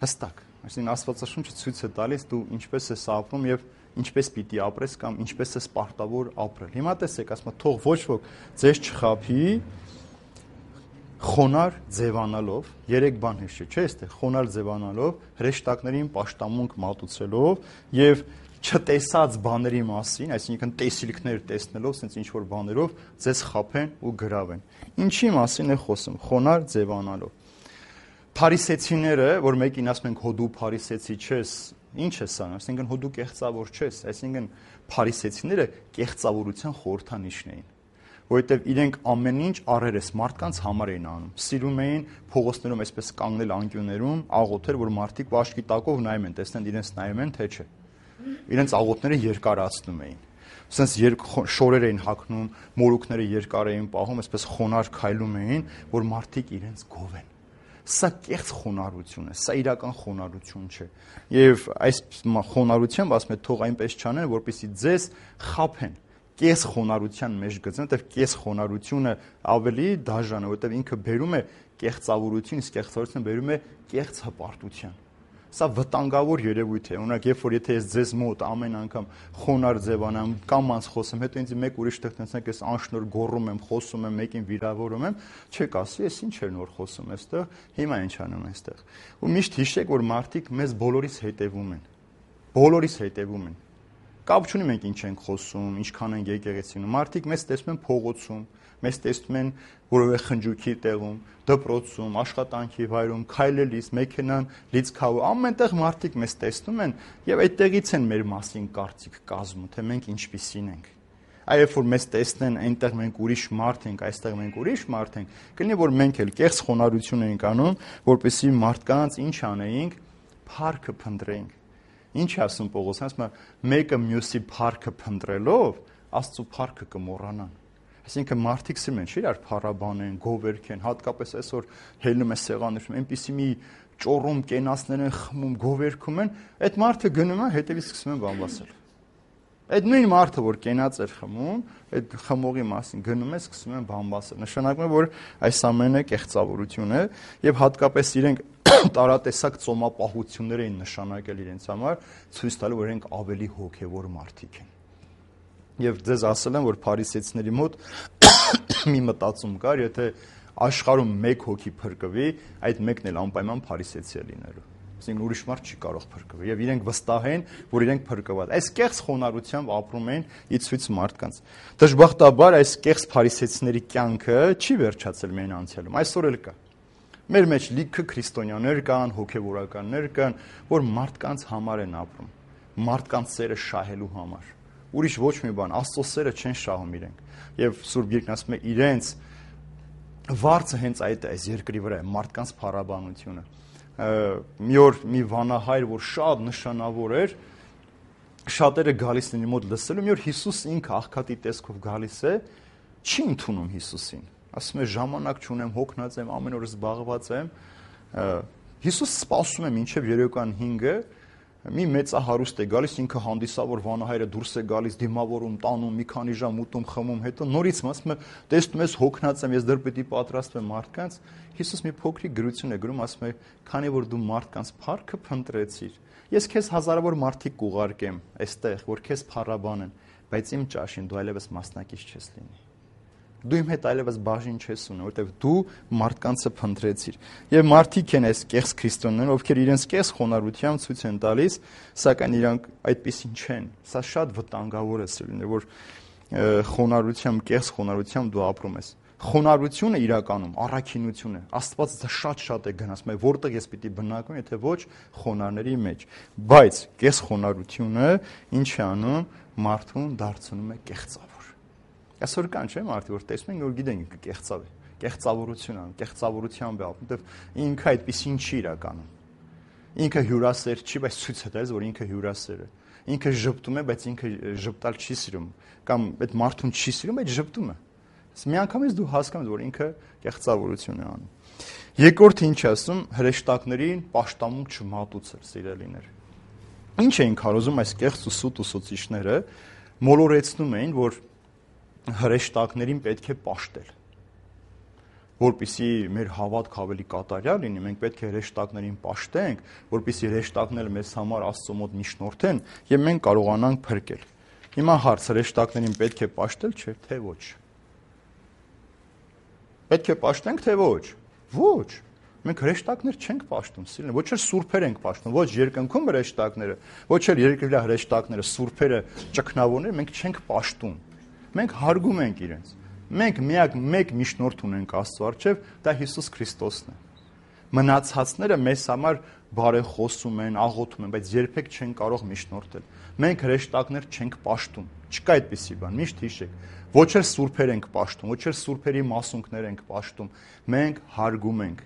S1: Հստակ։ Այսինքն Աստվածաշունչը ցույց է տալիս դու ինչպես ես ապրում եւ ինչպես պիտի ապրես կամ ինչպես ես պարտավոր ապրել։ Հիմա տեսեք, ասում եմ, թող ոչ ոք ձեզ չխաբի խոնարհ ձևանալով, 3 բան հիշի, չէ՞, այստեղ խոնարհ ձևանալով, հրեշտակներին պաշտամունք մատուցելով եւ չտեսած բաների մասին, այսինքն տեսիլքներ տեսնելով, sense ինչ որ բաներով ձեզ խաբեն ու գրավեն։ Ինչի մասին է խոսում, խոնարհ ձևանալով։ Փարիսեցիները, որ մեկին ասում ենք հո դու փարիսեցի չես, ինչ է սա, այսինքն հո դու կեղծավոր չես, այսինքն փարիսեցիները կեղծավորության խորհրդանիշն էին, որովհետև իրենք ամեն ինչ առերես մարդկանց համար էին անում։ Սիրում էին փողոցներում այսպես կանգնել անկյուններում, աղոթել, որ մարդիկ վաշկի տակով նայում են, տեսնեն իրենց նայում են, թե չէ։ Իրենց աղոթները երկարացնում էին։ Ասենց շորեր էին հագնում, մորուքները երկար էին պահում, այսպես խոնարհ քայլում էին, որ մարդիկ իրենց գովեն։ Սա կեղծ խոնարհություն է, սա իրական խոնարհություն չէ։ Եվ այս խոնարհությամբ ասում է թող այնպես չանեն, որպեսզի ձեզ խաբեն, կես խոնարհության մեջ գցեն, որտեղ կես խոնարհությունը ավելի դաժան է, որտեղ ինքը բերում է կեղծավորություն, իսկ կեղծավորությունը բերում է կեղծ հպարտության։ Սա վտանգավոր երևույթ է։ Օրինակ, երբ որ եթե ես ձեզ մոտ ամեն անգամ խոնարհ ձևանամ, կամած խոսեմ, հետո ինձ մեկ ուրիշ տեղ տենցնեք, ես անշնոր գոռում եմ, խոսում եմ, մեկին վիրավորում եմ, չեք ասի, ես ինչ էր նոր խոսում այստեղ, հիմա ինչ անում այստեղ։ Ու միշտ հիշեք, որ մարդիկ մեզ բոլորիս հետևում են։ Բոլորիս հետևում են։ Կապ չունի մենք ինչ ենք խոսում, ինչքան ենք եկեղեցինում։ Մարդիկ մեզ տեսնում են փողոցում, մեզ տեսնում են որևէ խնջույքի տեղում, դպրոցում, աշխատանքի վայրում, քայլելիս, մեքենան լիցքավոր, ամենտեղ մարդիկ մեզ տեսնում են եւ այդտեղից են մեր մասին կարծիք կազմում, թե մենք ինչպիսին ենք։ Այո, որ մեզ տեսնեն, այնտեղ մենք ուրիշ մարդ ենք, այստեղ մենք ուրիշ մարդ ենք, կլինի որ մենք էլ կեղծ խոնարհություն ենք անում, որպեսզի մարդկանց ինչ անեինք, փառքը փնտրեինք։ Ինչ ասում Պողոսն, ասում է, մեկը մյուսի փառքը փնտրելով, Աստծո փառքը կմոռանան։ Այսինքն մարդիկ սիրում են, չէ՞, իրար փառաբանեն, գովերքեն, հատկապես այսօր հելնում է սեղաններում, այնպիսի մի ճոռում կենացներ են խմում, գովերքում են, այդ մարդը գնում է, հետևից սկսում են բամբասել։ Այդ նույն մարդը, որ կենաց էր խմում, այդ խմողի մասին գնում է, սկսում են բամբասել։ Նշանակում է, որ այս ամենը կեղծավորություն է եւ հատկապես իրենք տարատեսակ ծոմապահություններ էին նշանակել իրենց համար, ցույց տալու, որ իրենք ավելի հոգեվոր մարդիկ են։ Եվ ձեզ ասել եմ, որ փարիսեցիների մոտ մի մտածում կար, եթե աշխարհում մեկ հոգի փրկվի, այդ մեկն էլ անպայման փարիսեցի է լինելու։ Այսինքն ուրիշ մարդ չի կարող փրկվել եւ իրենք վստահ են, որ իրենք փրկված։ Այս կեղծ խոնարհությամբ ապրում են ի ցույց մարդկանց։ Դժբախտաբար այս կեղծ փարիսեցիների կյանքը չի վերջացել միայն անցյալում, այսօր էլ կա։ Մեր մեջ լիքը քրիստոնյաներ կան, հոգևորականներ կան, որ մարդկանց համար են ապրում, մարդկանց սերը շահելու համար, ուրիշ ոչ մի բան, Աստծո սերը չեն շահում իրենք։ Եվ Սուրբ Գիրքն ասում է իրենց վարձը հենց այդ է, այս երկրի վրա է, մարդկանց փառաբանությունը։ Մի օր մի վանահայր, որ շատ նշանավոր էր, շատերը գալիս են իր մոտ լսելու, մի օր Հիսուս ինքը աղքատի տեսքով գալիս է, չի ընդունում Հիսուսին։ Ասում է ժամանակ չունեմ, հոգնած եմ, ամեն օր զբաղված եմ։ Հիսուս սպասում է մինչև երեկոյան 5-ը, մի մեծահարուստ է գալիս, ինքը հանդիսավոր վանահայրը դուրս է գալիս, դիմավորում, տանում, մի քանի ժամ ուտում, խմում, հետո նորից ասում է, տեսնում ես հոգնած եմ, ես դեռ պետք է պատրաստվեմ մարդկանց։ Հիսուս մի փոքրիկ գրություն է գրում, ասում է, քանի որ դու մարդկանց փառքը փնտրեցիր, ես քեզ հազարավոր մարդիկ կուղարկեմ այստեղ, որ քեզ փառաբանեն, բայց իմ ճաշին դու այլևս մասնակից չես լինի։ Դու իմ հետ այլևս բաժին չես ունի, որովհետև դու մարդկանցը փնտրեցիր։ Եվ մարդիկ են այս կեղծ քրիստոնյաները, ովքեր իրենց կեղծ խոնարհությամբ ցույց են տալիս, սակայն իրանք այդպեսին չեն։ Սա շատ վտանգավոր է սիրելիներ, որ խոնարհությամբ, կեղծ խոնարհությամբ դու ապրում ես։ Խոնարհությունը իրականում առաքինություն է։ Աստված դա շատ է գնացում, որտեղ ես պիտի բնակվեմ, եթե ոչ խոնարհների մեջ։ Բայց կեղծ խոնարհությունը ինչ է անում, մարդուն դարձնում է կեղծավոր։ Այսօր կան չէ՞ մարդիկ, որ տեսնում են, որ գիտեն ինքը կեղծավ է, կեղծավորություն անում, կեղծավորությամբ է ապրում, որտեղ ինքը այդպեսին չի իրականում։ Ինքը հյուրասեր չի, բայց ցույց է տալիս, որ ինքը հյուրասեր է։ Ինքը ժպտում է, բայց ինքը ժպտալ չի սիրում, կամ այդ մարդուն չի սիրում, բայց ժպտում է։ Միանգամից դու հասկանում ես, որ ինքը կեղծավորություն է անում։ Երկրորդը ինչ ասում, հրեշտակներին պաշտամունք չմատուցել, սիրելիներ։ Ինչ էին քարոզում այս կեղծ ու սուտ ուսուցիչները, մոլորեցնում էին, որ հրեշտակներին պետք է պաշտել, որպեսզի մեր հավատքը ավելի կատարյալ լինի, մենք պետք է հրեշտակներին պաշտենք, որպեսզի հրեշտակները մեզ համար Աստծո մոտ միջնորդեն եւ մենք կարողանանք փրկել։ Հիմա հարց, հրեշտակներին պետք է պաշտել, չէ՞ թե ոչ։ Պետք է պաշտենք, թե ոչ։ Ոչ։ Մենք հրեշտակներ չենք պաշտում, սիրելիներ, ոչ էլ սուրբեր ենք պաշտում, ոչ երկնքում հրեշտակները, ոչ էլ երկրի վրա հրեշտակները, սուրբերը, ճգնավորները մենք չենք պաշտում։ Մենք հարգում ենք իրենց։ Մենք միակ մեկ միջնորդ ունենք Աստծո առջև, դա Հիսուս Քրիստոսն է։ Մնացածները մեզ համար բարեխոսում են, աղոթում են, բայց երբեք չեն կարող միջնորդել։ Մենք հրեշտակներ չենք պաշտում։ Չկա այդպիսի բան, միշտ հիշեք։ Ոչ էլ սուրբեր ենք պաշտում, ոչ էլ սուրբերի մասունքներ ենք պաշտում։ Մենք հարգում ենք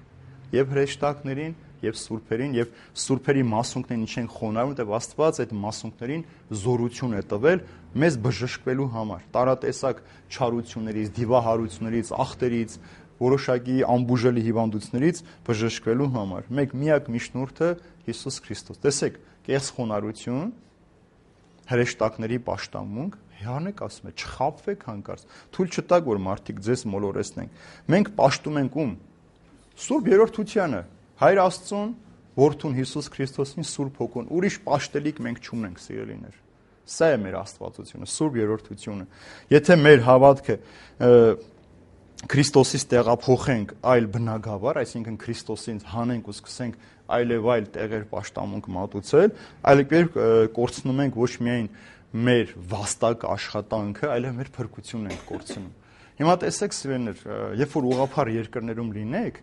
S1: եւ հրեշտակներին, եւ սուրբերին, եւ սուրբերի մասունքներին ինչ են խոնարհում, որտեղ Աստված այդ մասունքներին զորություն է տվել մեզ բժշկվելու համար, տարատեսակ չարություններից, դիվահարություններից, ախտերից, որոշակի անբուժելի հիվանդություններից բժշկվելու համար։ Մեկ միակ միջնորդը Հիսուս Քրիստոս։ Տեսեք, կեղծ խոնարհություն, հրեշտակների պաշտամունք, Հրանեք ասում է, չխաբվեք հանկարծ, թույլ չտաք, որ մարդիկ ձեզ մոլորեցնեն։ Մենք պաշտում ենք ում։ Սուրբ Երրորդությանը, Հայր Աստծուն, Որդուն Հիսուս Քրիստոսին, Սուրբ Հոգուն, ուրիշ պաշտելիք մենք չունենք, սիրելիներ։ Սա է մեր աստվածությունը, Սուրբ Երրորդությունը։ Եթե մեր հավատքը Քրիստոսից տեղափոխենք այլ բնագավառ, այսինքն Քրիստոսին հանենք ու սկսենք այլևայլ տեղեր պաշտամունք մատուցել, այլևս կորցնում ենք ոչ միայն մեր վաստակ աշխատանքը, այլև մեր փրկությունն ենք կորցնում։ Հիմա տեսեք, սիրելիներ, երբ որ ուղղափառ երկրներում լինեք,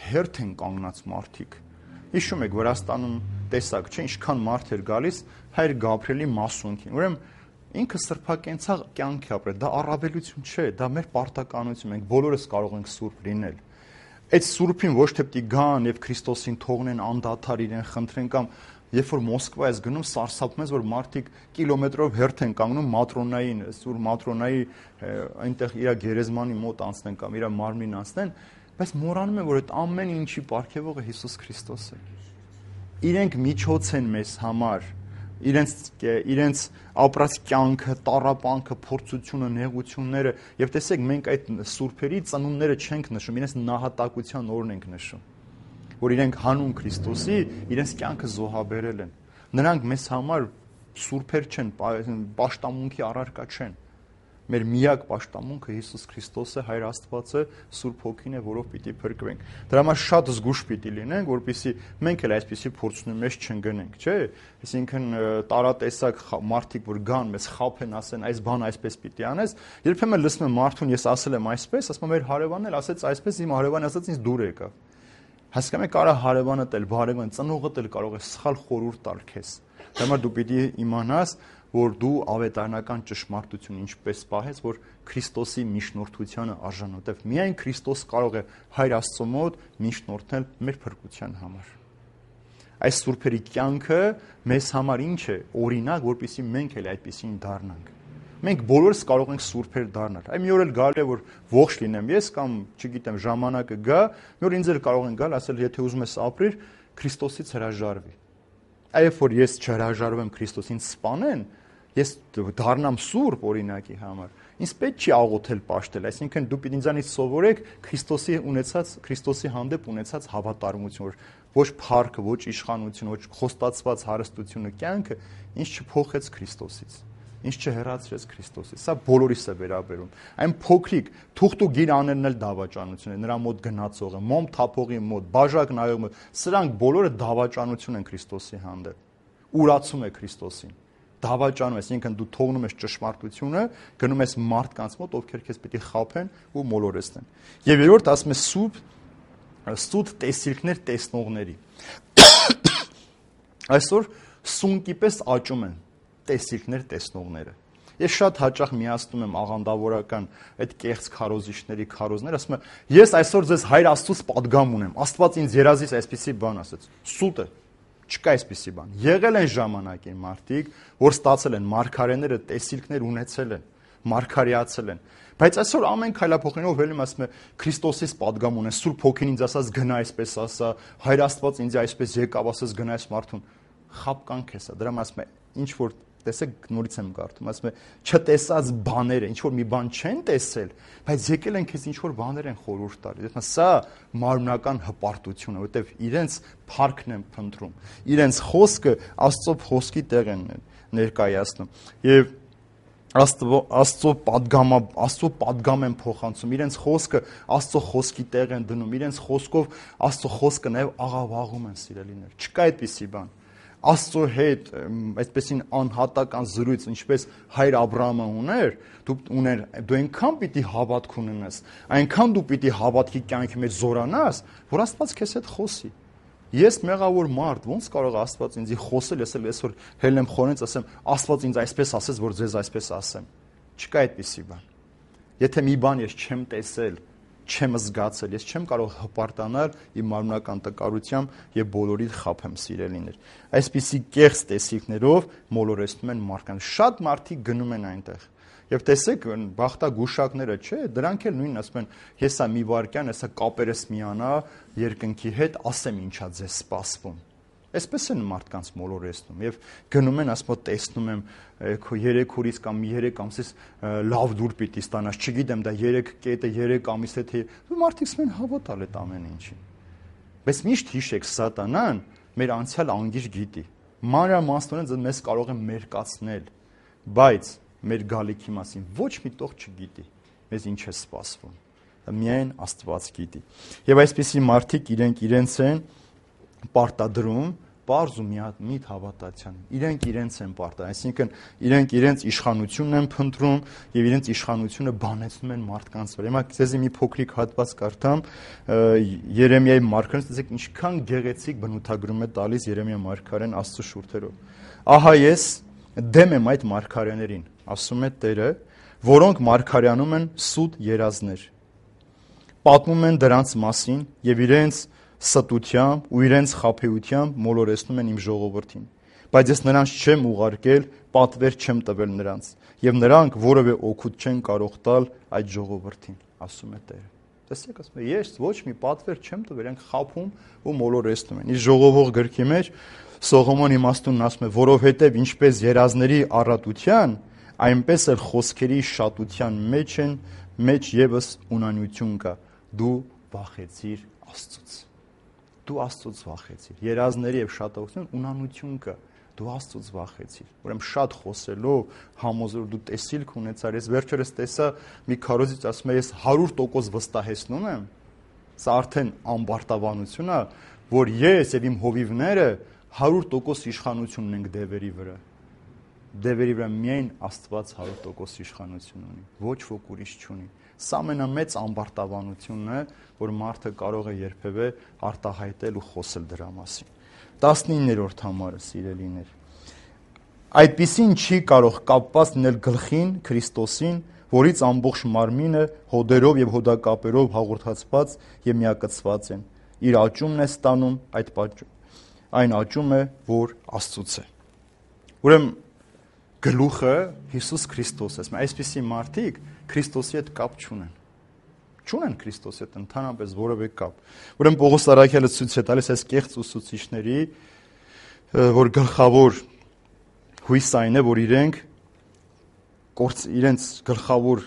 S1: հերթ են կանգնած մարդիկ։ Հիշում եք, Վրաստանում տեսակ, չէ՞, ինչքան մարդ էր գալիս Հայր Գաբրիելի մասունքին։ Ուրեմն ինքը սրբակենցաղ կյանք է ապրել, դա առավելություն չէ, դա մեր պարտականություն, մենք բոլորս կարող ենք սուրբ լինել։ Այդ սուրբին ոչ թե պիտի գան եւ Քրիստոսին թողնեն անդադար իրեն խնդրեն կամ երբ որ Մոսկվա ես գնում, սարսափում ես, որ մարդիկ կիլոմետրով հերթ են կանգնում Մատրոնային, սուր Մատրոնայի այնտեղ իր գերեզմանի մոտ անցնեն կամ իր մարմնին անցնեն, բայց մոռանում են, որ այդ ամեն ինչի պարգևողը Հիսուս Քրիստոս է։ Իրենք միջոց են մեզ համար, իրենց ապրած կյանքը, տառապանքը, փորձությունը, նեղությունները, եւ տեսեք, մենք այդ սուրբերի ծնունդները չենք նշում, իրենց նահատակության օրն ենք նշում, որ իրենք հանուն Քրիստոսի իրենց կյանքը զոհաբերել են։ Նրանք մեզ համար սուրբեր չեն, պաշտամունքի առարկա չեն։ Մեր միակ պաշտամունքը Հիսուս Քրիստոս է, Հայր Աստվածը, Սուրբ Հոգին է, որով պիտի փրկվենք։ Դրա համար շատ զգուշ պիտի լինենք, որպեսզի մենք էլ այսպիսի փորձունի մեջ չընկնենք, չէ՞։ Այսինքն տարատեսակ մարդիկ, որ գան, մեզ խաբեն, ասեն, այս բանը այսպես պիտի անես, երբեմն լսում եմ մարդուն, ես ասել եմ այսպես, ասում եմ, մեր հարևանն էլ ասեց այսպես, իմ հարևանը ասաց ինձ դուր եկավ։ Հասկանում եք, կարա հարևանդ էլ, բարևան, ծնողդ էլ կարող է սխալ խորհուրդ տալ քեզ։ Դրա համար դու պիտի իմանաս, որ դու ավետարանական ճշմարտություն ինչպես պահես, որ Քրիստոսի միջնորդությանը արժան, որտեղ միայն Քրիստոս կարող է Հայր Աստծո մոտ միջնորդել մեր փրկության համար։ Այս սուրբերի կյանքը մեզ համար ինչ է, օրինակ, որպեսզի մենք էլ այդպեսին դառնանք։ Մենք բոլորս կարող ենք սուրբեր դառնալ։ Այ մի օր էլ գալու է, որ ողջ լինեմ ես կամ, չգիտեմ, ժամանակը գա, մի օր ինձ էլ կարող են գալ, ասել, եթե ուզում ես ապրիր, Քրիստոսից հրաժարվի։ Այբ որ ես չհրաժարվեմ Քրիստոսին սպանեն, ես դառնամ սուրբ օրինակի համար։ Ինձ պետք չի աղոթել պաշտել, այսինքն դու պիտի ինձանից սովորեք Քրիստոսի հանդեպ ունեցած հավատարմություն, որ ոչ փառքը, ոչ իշխանություն, ոչ խոստացված հարստությունը կյանքը ինձ չփոխեց Քրիստոսից, ինձ չհեռացրեց Քրիստոսից։ Սա բոլորիս է վերաբերում։ Այն փոքրիկ թուղթու գիր աներն էլ դավաճանություն է, նրա մոտ գնացողը, մոմ թափողի մոտ, բաժակ նայողի մոտ, սրանք բոլորը դավաճանություն են Քրիստոսի հանդեպ։ Ուրացում է Քրիստոսին։ Դավաճանում ես, ինքն դու թողնում ես ճշմարտությունը, գնում ես մարդկանց մոտ, ովքեր քեզ պիտի խաբեն ու մոլորեցնեն։ Եվ երրորդ ասում է սուտ տեսիլքներ տեսնողների։ Այսօր սունկի պես աճում են տեսիլքներ տեսնողները։ Ես շատ հաճախ միացնում եմ աղանդավորական այդ կեղծ քարոզիչների քարոզներ, ասում եմ, ես այսօր ձեզ Հայր Աստծուց պատգամ ունեմ, Աստված ինձ երազից այսպիսի բան ասեց։ Սուտ է, չկա այսպիսի բան։ Եղել են ժամանակին մարդիկ, որ ստացել են մարգարեները, տեսիլքներ ունեցել են, մարգարեացել են։ Բայց այսօր ամեն քայլափոխելով ելնում ասում է Քրիստոսից պատգամ ունեն, Սուրբ Հոգին ինձ ասած գնա այսպես ասա, Հայր Աստված ինձ այսպես եկավ ասած գնա այս մարդուն։ Խապկանք է սա, դրա համար ասում է ինչ որ տեսեք նորից եմ կարդում, ասում է չտեսած բաները, ինչ որ մի բան չեն տեսել, բայց եկել են քեզ ինչ որ բաներ են խորհուրդ տալիս։ Սա մարմնական հպարտություն է, որովհետև իրենց փառքն են փնտրում, իրենց խոսքը Աստծո խոսքի տեղ են ներկայացնում եւ Աստծո պատգամ են փոխանցում, իրենց խոսքը Աստծո խոսքի տեղ են դնում, իրենց խոսքով Աստծո խոսքը նաև աղավաղում են սիրելիներ։ Չկա այդպիսի բան։ Աստծո հետ այսպեսին անհատական զրույց, ինչպես Հայր Աբրահամը ուներ, դու այնքան պիտի հավատք ունենաս, այնքան դու պիտի հավատքի կյանքի մեջ զորանաս, որ Աստված քեզ հետ խոսի։ Ես մեղավոր մարդ, ոնց կարող է Աստված ինձ խոսել, ես այսօր հելեմ խորենց ասեմ, Աստված ինձ այսպես ասեց, որ ձեզ այսպես ասեմ։ Չկա այդպիսի բան։ Եթե մի բան ես չեմ տեսել, չեմ զգացել, ես չեմ կարող հպարտանալ իմ մարմնական տկարությամբ եւ բոլորիդ խափեմ սիրելիներ։ Այսպիսի կեղծ տեսիքներով մոլորեցնում են մարդկանց։ Շատ մարդիկ գնում են այնտեղ։ Եվ տեսեք, բախտագուշակները, չէ, դրանք էլ նույնն ասում են, հեսա մի վարքյան, հեսա կապերս միանա երկնքի հետ, ասեմ ինչա ձեզ սպասվում։ Այսպես են մարդկանց մոլորեցնում եւ գնում են, ասում տեսնում եմ քո 3 օրից կամ 3 ամսից լավ դուր պիտի ստանաս, չգիտեմ, դա 3 կետը 3 ամիս է թե մարդիկ ասում են հավատալ այդ ամեն ինչին։ Բայց միշտ հիշեք, սատանան մեր անցյալ անգիր գիտի։ Մանրամասնորեն մեզ կարող է մերկացնել, բայց մեր գալիքի մասին ոչ մի տող չգիտի, մեզ ինչ է սպասվում, միայն Աստված գիտի։ Եվ այսպիսի մարդիկ իրենց են պարտադրում պարզ ու միատ հավատացյան, իրենց են պարտադրում, այսինքն իրենց իշխանությունն են փնտրում եւ իրենց իշխանությունը բանեցնում են մարդկանց վրա։ Հիմա ձեզի մի փոքրիկ հատված կարդամ Երեմիայի մարգարեն, տեսեք ինչքան գեղեցիկ բնութագրում է տալիս Երեմիա մարգարեն Աստծո շուրթերով։ Ահա ես դեմ եմ այդ մարգարեներին, ասում է Տերը, որոնք մարգարեանում են սուտ երազներ, պատմում են դրանց մասին եւ իրենց ստությամբ ու իրենց խաբեությամբ մոլորեցնում են իմ ժողովրդին, բայց ես նրանց չեմ ուղարկել, պատվեր չեմ տվել նրանց, եւ նրանք որևէ օգուտ չեն կարող տալ այդ ժողովրդին, ասում է Տերը։ Տեսեք, ասում է, ես ոչ մի պատվեր չեմ տվել, իրենք խաբում ու մոլորեցնում են։ Իսկ ժողովող գրքի մեջ Սողոմոն իմաստունն ասում է, որովհետև ինչպես երազների առատության, այնպես էլ խոսքերի շատության մեջ եւս ունանություն կա։ Դու վախեցիր Աստծուց։ Դու Աստծուց վախեցիր։ Երազների եւ շատողություն ունանություն կա։ Դու Աստծուց վախեցիր։ Ուրեմն շատ խոսելով համոզոր դու տեսիլք ունեցար։ Ես վերջերս տեսա մի քարոզից ասում է, ես 100% վստահեցնում եմ։ Սա արդեն ամբարտավանություն է, որ ես եւ իմ հովիվները 100% իշխանություն ունենք դևերի վրա։ Դևերի վրա միայն Աստված 100% իշխանություն ունի, ոչ ոք ուրիշ չունի։ Սա ամենամեծ ամբարտավանությունն է, որ մարդը կարող է երբևէ արտահայտել ու խոսել դրա մասին։ 19-րդ համարը, սիրելիներ։ այդպիսին չի կարող կապված լինել գլխին, Քրիստոսին, որից ամբողջ մարմինը հոդերով եւ հոդակապերով հաղորդացված եւ միակցված են։ Իր աճումն է ստանում այն աճում է, որ Աստծուց է։ Ուրեմն գլուխը Հիսուս Քրիստոսն է։ Այսպիսի մարդիկ Քրիստոսի հետ կապ չունեն։ Չունեն Քրիստոսի հետ ընդհանրապես որևէ կապ։ Ուրեմն Պողոս առաքյալը ցույց է տալիս այս կեղծ ուսուցիչների, որ գլխավոր հույսը այն է, որ իրենց գլխավոր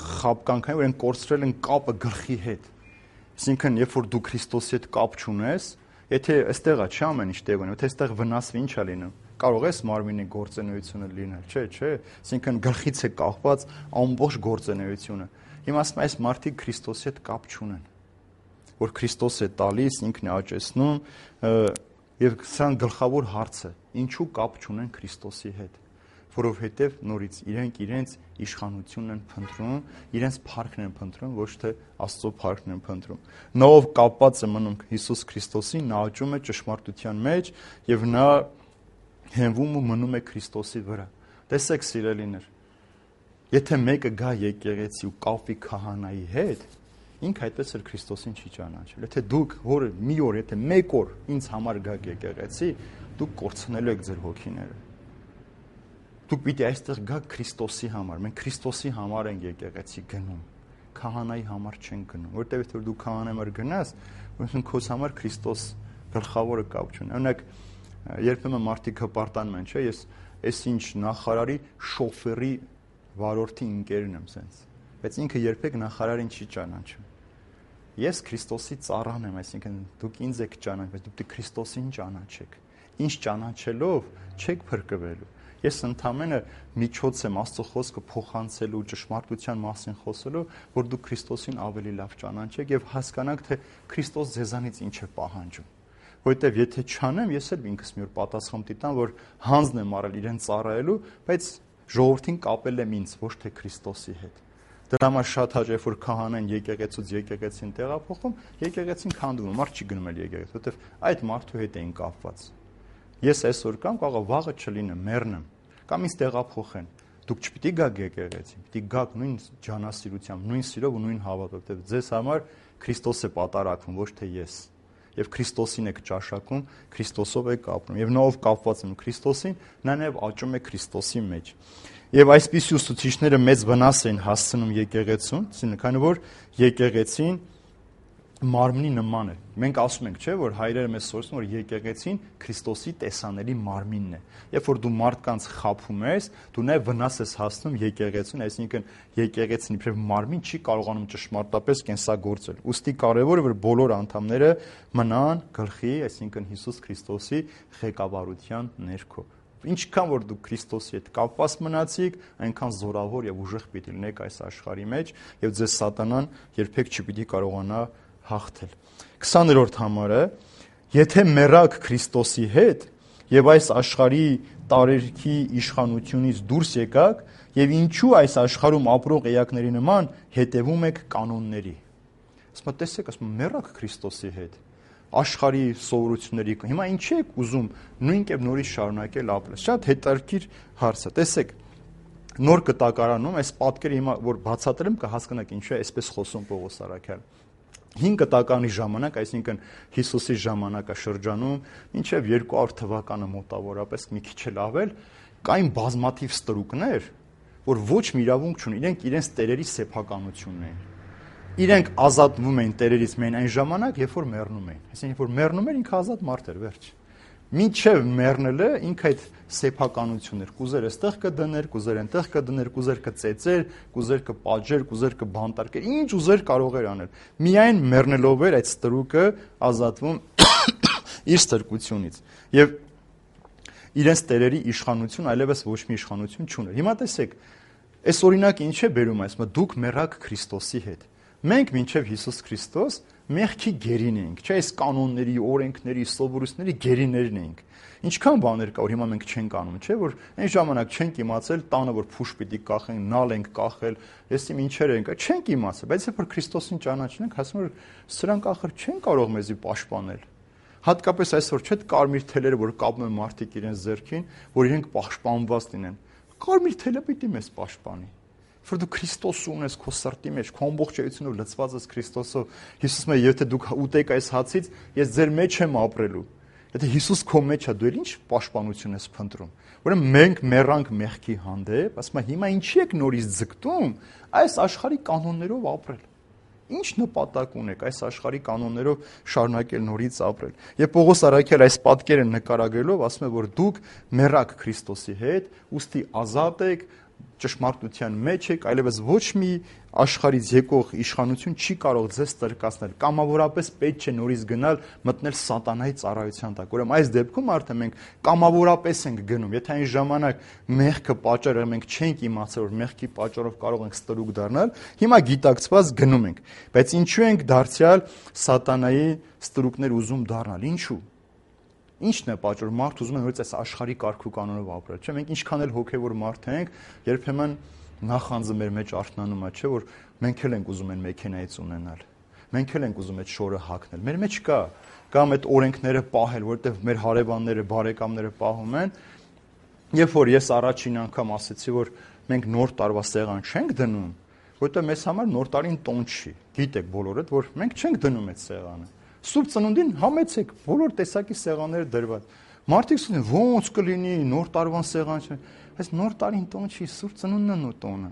S1: խաբկանքն է, որ իրենք կորցրել են կապը գլխի հետ։ Այսինքն, երբ որ դու Քրիստոսի հետ կապ չունես, եթե այստեղ է չի ամեն ինչ տեղ ունի, եթե այստեղ վնասվի ինչ է լինում, կարող ես մարմինի գործունեությունը լինել, չէ, այսինքն գլխից է կախված ամբողջ գործունեությունը։ Հիմա ասում այս մարդիկ Քրիստոսի հետ կապ չունեն, որ Քրիստոս է տալիս, ինքն է աճեցնում, եւ սան գլխավոր հարցը, ինչու կապ չունեն Քրիստոսի հետ, որովհետեւ նորից իրենց իշխանությունն են փնտրում, իրենց փառքն են փնտրում, ոչ թե Աստծո փառքն են փնտրում։ Նա ով կապված է մնում Հիսուս Քրիստոսին, նա աճում է ճշմարտության մեջ եւ նա հենվում ու մնում է Քրիստոսի վրա։ Տեսեք, սիրելիներ, եթե մեկը գա եկեղեցի ու կապվի քահանայի հետ, ինքը այդպես էլ Քրիստոսին չի ճանաչել։ Եթե դուք մի օր, եթե մեկ օր ինձ համար գաք եկեղեցի, դուք կորցնելու եք ձեր հոգիները։ Դուք պիտի այստեղ գաք Քրիստոսի համար։ Մենք Քրիստոսի համար ենք եկեղեցի գնում։ Քահանայի համար չենք գնում, որտեղ եթե դու քահանայի համար գնաս, ուրեմն քո համար Քրիստոս գլխավորը կապ չունի։ Օրինակ, երբեմն մարդիկ հպարտանում են, չէ՞, ես այսինչ նախարարի շոֆերի վարորդի ընկերն եմ սենց, բայց ինքը երբեք նախարարին չի ճանաչում։ Ես Քրիստոսի ծառան եմ, այսինքն դուք ինձ եք ճանաչում, բայց դուք Քրիստոսին ճանաչեք։ Ինչ ճանաչելով չեք փրկվելու։ Ես ընդամենը միջոց եմ Աստծո խոսքը փոխանցելու, ճշմարտության մասին խոսելու, որ դուք Քրիստոսին ավելի լավ ճանաչեք եւ հասկանաք, թե Քրիստոս ձեզանից ինչ է պահանջում։ Որտեւ եթե չանեմ, ես էլ ինքս մի օր պատասխան տիտան, որ հանձն եմ արել իրեն ծառայելու, բայց ժողովրդին կապել եմ ինձ, ոչ թե Քրիստոսի հետ։ Դրա համար շատ հաճախ որ քահանան եկեղեցուց եկեղեցին տեղափոխում, եկեղեցին քանդվում, մարդ չի գնում էլ եկեղեցի, որտեվ այդ մարդու հետ էին կապված։ Ես այսօր կամ կարող վաղը չլինեմ, մեռնեմ, կամ ինձ տեղափոխեն։ Դուք չպիտի գաք եկեղեցի, պիտի գաք նույն ջանասիրությամբ, նույն սիրով ու նույն հավատով, որտեվ ձեզ համար Քրիստոս է պատարակվում, ոչ թե ես։ Եվ Քրիստոսին եք ճաշակում, Քրիստոսով եք ապրում։ Եվ նա ով կապված է Քրիստոսին, նա նաև աճում է Քրիստոսի մեջ։ Եվ այսպիսի ուսուցիչները մեծ վնաս են հասցնում եկեղեցուն, քանի որ եկեղեցին մարմնի նման է։ Մենք ասում ենք, չէ, որ հայրերը մեզ սովորեցնում, որ եկեղեցին Քրիստոսի տեսանելի մարմինն է։ Երբ որ դու մարդկանց խաբում ես, դու նաև վնաս ես հասցնում եկեղեցուն, այսինքն եկեղեցին իբրև մարմին չի կարողանում ճշմարտապես կենսագործել։ Ուստի կարևոր է, որ բոլոր անդամները մնան գլխի, այսինքն Հիսուս Քրիստոսի ղեկավարության ներքո։ Ինչքան որ դու Քրիստոսի հետ կապված մնացիք, այնքան զորավոր եւ ուժեղ պիտի լինեք այս աշխարհի մեջ, եւ ձեզ սատանան երբեք չպիտի կարողանա հաղթել։ 20-րդ համարը, եթե մեռաք Քրիստոսի հետ եւ այս աշխարհի տարերքի իշխանությունից դուրս եկաք եւ ինչու այս աշխարհում ապրող էակների նման հետևում եք կանոնների։ Ասում տեսեք, ասում մեռաք Քրիստոսի հետ աշխարհի սովորությունների։ Հիմա ինչի եք ուզում նույն կերպ նորից շարունակել ապրել։ Շատ հետաքրքիր հարց է։ Տեսեք, նոր կտակարանում այս պատկերը հիմա որ բացատրեմ կհասկանաք ինչու է այսպես խոսում Պողոս առաքյալը։ 5 կտականի ժամանակ, այսինքն Հիսուսի ժամանակաշրջանում, մինչև 200 թվականը մոտավորապես մի քիչ էլ ավել, կային բազմաթիվ ստրուկներ, որ ոչ մի իրավունք չունեն, իրենք իրենց տերերի սեփականությունն էին։ Իրենք ազատվում էին տերերից միայն այն ժամանակ, երբ որ մեռնում էին։ Այսինքն, որ մեռնում էր, ինքը ազատ մարդ էր, վերջ։ Մինչև մեռնելը ինքը այդ սեփականություններ, կուզեր այստեղ կդներ, կուզեր այնտեղ կդներ, կուզեր կծեծեր, կուզեր կպաճեր, կուզեր կբանտարկեր, ինչ ուզեր կարող էր անել։ Միայն մեռնելով էր այդ ստրուկը ազատվում իր ստրկությունից։ Եվ իրենց տերերի իշխանություն այլևս ոչ մի իշխանություն չուներ։ Հիմա տեսեք, այս օրինակը ինչ է բերում այսպես, դուք մեռաք Քրիստոսի հետ։ Մենք մինչև Հիսուս Քրիստոս մեղքի գերին էինք, չէ՞, այս կանոնների, օրենքների, սովորույթների գերիներն էինք։ Ինչքան բաներ կա, որ հիմա մենք չենք անում, չէ՞, որ այն ժամանակ չենք իմացել տանը որ փուշ պիտի կախենք, նալ ենք կախել, եսիմ ինչեր ենք, չենք իմացել, բայց երբ որ Քրիստոսին ճանաչենք, հասնում որ սրանք ախր չեն կարող մեզի պաշտպանել։ Հատկապես այսօր չէ՞ կարմիր թելերը, որ կապում են մարդիկ իրենց ձեռքին, որ իրենք պաշտպանված լինեն։ Կարմիր թելը պիտի մեզ պաշտպանի։ Որ դու Քրիստոս ունես քո սրտի մեջ, քո ամբողջ էությունով լցված ես Քրիստոսով։ Հիսուսը եթե դուք ուտեք այս հացից, ես ձեր մեջ եմ ապրելու։ Եթե Հիսուս քո մեջ է, դու ինչ պաշտպանություն ես փնտրում։ Ուրեմն մենք մեռանք մեղքի հանդեպ, ասում եմ, հիմա ինչի եք նորից ձգտում այս աշխարհի կանոններով ապրել։ Ինչ նպատակ ունեք այս աշխարհի կանոններով շարունակել նորից ապրել։ Եվ Պողոս առաքյալ այս պատկերը նկարագրելով ասում է, որ դուք մեռաք Քրիստոսի հետ, ուստի ազատ եք, ճշմարտության մեջ եք, այլևս ոչ մի աշխարհից եկող իշխանություն չի կարող ձեզ ստրկացնել։ Կամավորապես պետք չէ նորից գնալ մտնել սատանայի ծառայության տակ։ Ուրեմն այս դեպքում արդեն մենք կամավորապես ենք գնում։ Եթե այն ժամանակ մեղքը պատճառը մենք չենք իմացել, որ մեղքի պատճառով կարող ենք ստրուկ դառնալ, հիմա գիտակցված գնում ենք։ Բայց ինչու ենք դարձյալ սատանայի ստրուկներ ուզում դառնալ։ Ինչու։ Ինչն է պատճառը, մարդ ուզում է նորից այս աշխարհի կարգ ու կանոնով ապրել, չէ՞։ Մենք ինչքան էլ հոգևոր մարդ ենք, երբեմն նախանձը մեր մեջ արթնանում է, չէ՞, որ մենք էլ ենք ուզում են մեքենայից ունենալ։ Մենք էլ ենք ուզում այդ շորը հագնել։ Մեր մեջ կա կամ այդ օրենքները պահել, որովհետև մեր հարևանները, բարեկամները պահում են։ Երբ որ ես առաջին անգամ ասեցի, որ մենք նոր տարվա սեղան չենք դնում, որովհետև մեզ համար նոր տարին տոն չի։ Գիտեք բոլորդ, որ մենք չենք դնում այդ սեղանը։ Սուրբ ծնունդին համեցեք, բոլոր տեսակի սեղանները դրված։ Մարդիկ ասում են, ո՞նց կլինի, նոր տարվան սեղան չէ։ Այս նոր տարին տոն չի, Սուրբ ծնունդն է տոնը։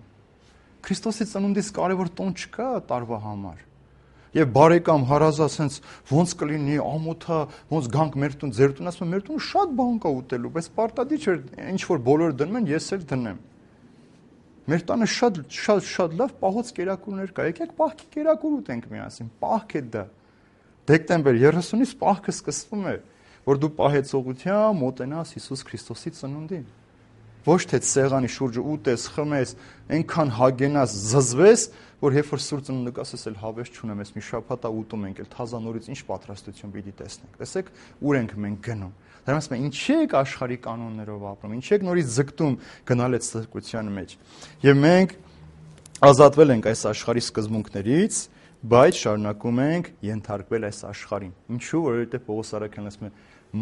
S1: Քրիստոսի ծնունդից կարևոր տոն չկա տարվա համար։ Եվ բարեկամ հարազատ sense ո՞նց կլինի, ամոթա, ո՞նց գանք մեր տուն, ձեր տուն, ասում եմ, մեր տուն շատ բան կա ուտելու, բայց պարտադիր չէ, ինչ որ բոլորը դնում են, ես էլ դնեմ։ Մեր տանը շատ լավ պահոց կերակուրներ կա։ Եկեք պահքի կերակուր ուտենք միասին, պահք է դա։ Դեկտեմբեր 30-ից պահքը սկսվում է, որ դու պահեցողությամբ մոտենաս Հիսուս Քրիստոսի ծնունդին։ Ոչ թե սեղանի շուրջը ուտես, խմես, այնքան հագենաս, զզվես, որ երբ որ Սուրբ ծնունդը կասես, էլ հավես չունեմ, ես մի շաբաթ ուտում ենք, էլ թազանորից ինչ պատրաստություն պիտի տեսնենք։ Տեսեք, ուր ենք մենք գնում։ Դրանց ասում են, ինչի եք աշխարհի կանոններով ապրում, ինչի եք նորից ձգտում գնալ այդ ստրկության մեջ։ Եվ մենք ազատվել ենք այս աշխարհի սկզբունքներից, բայց շարունակում ենք ենթարկվել այս աշխարհին։ Ինչու՞, որովհետև Պողոս առաքյալն ասում է,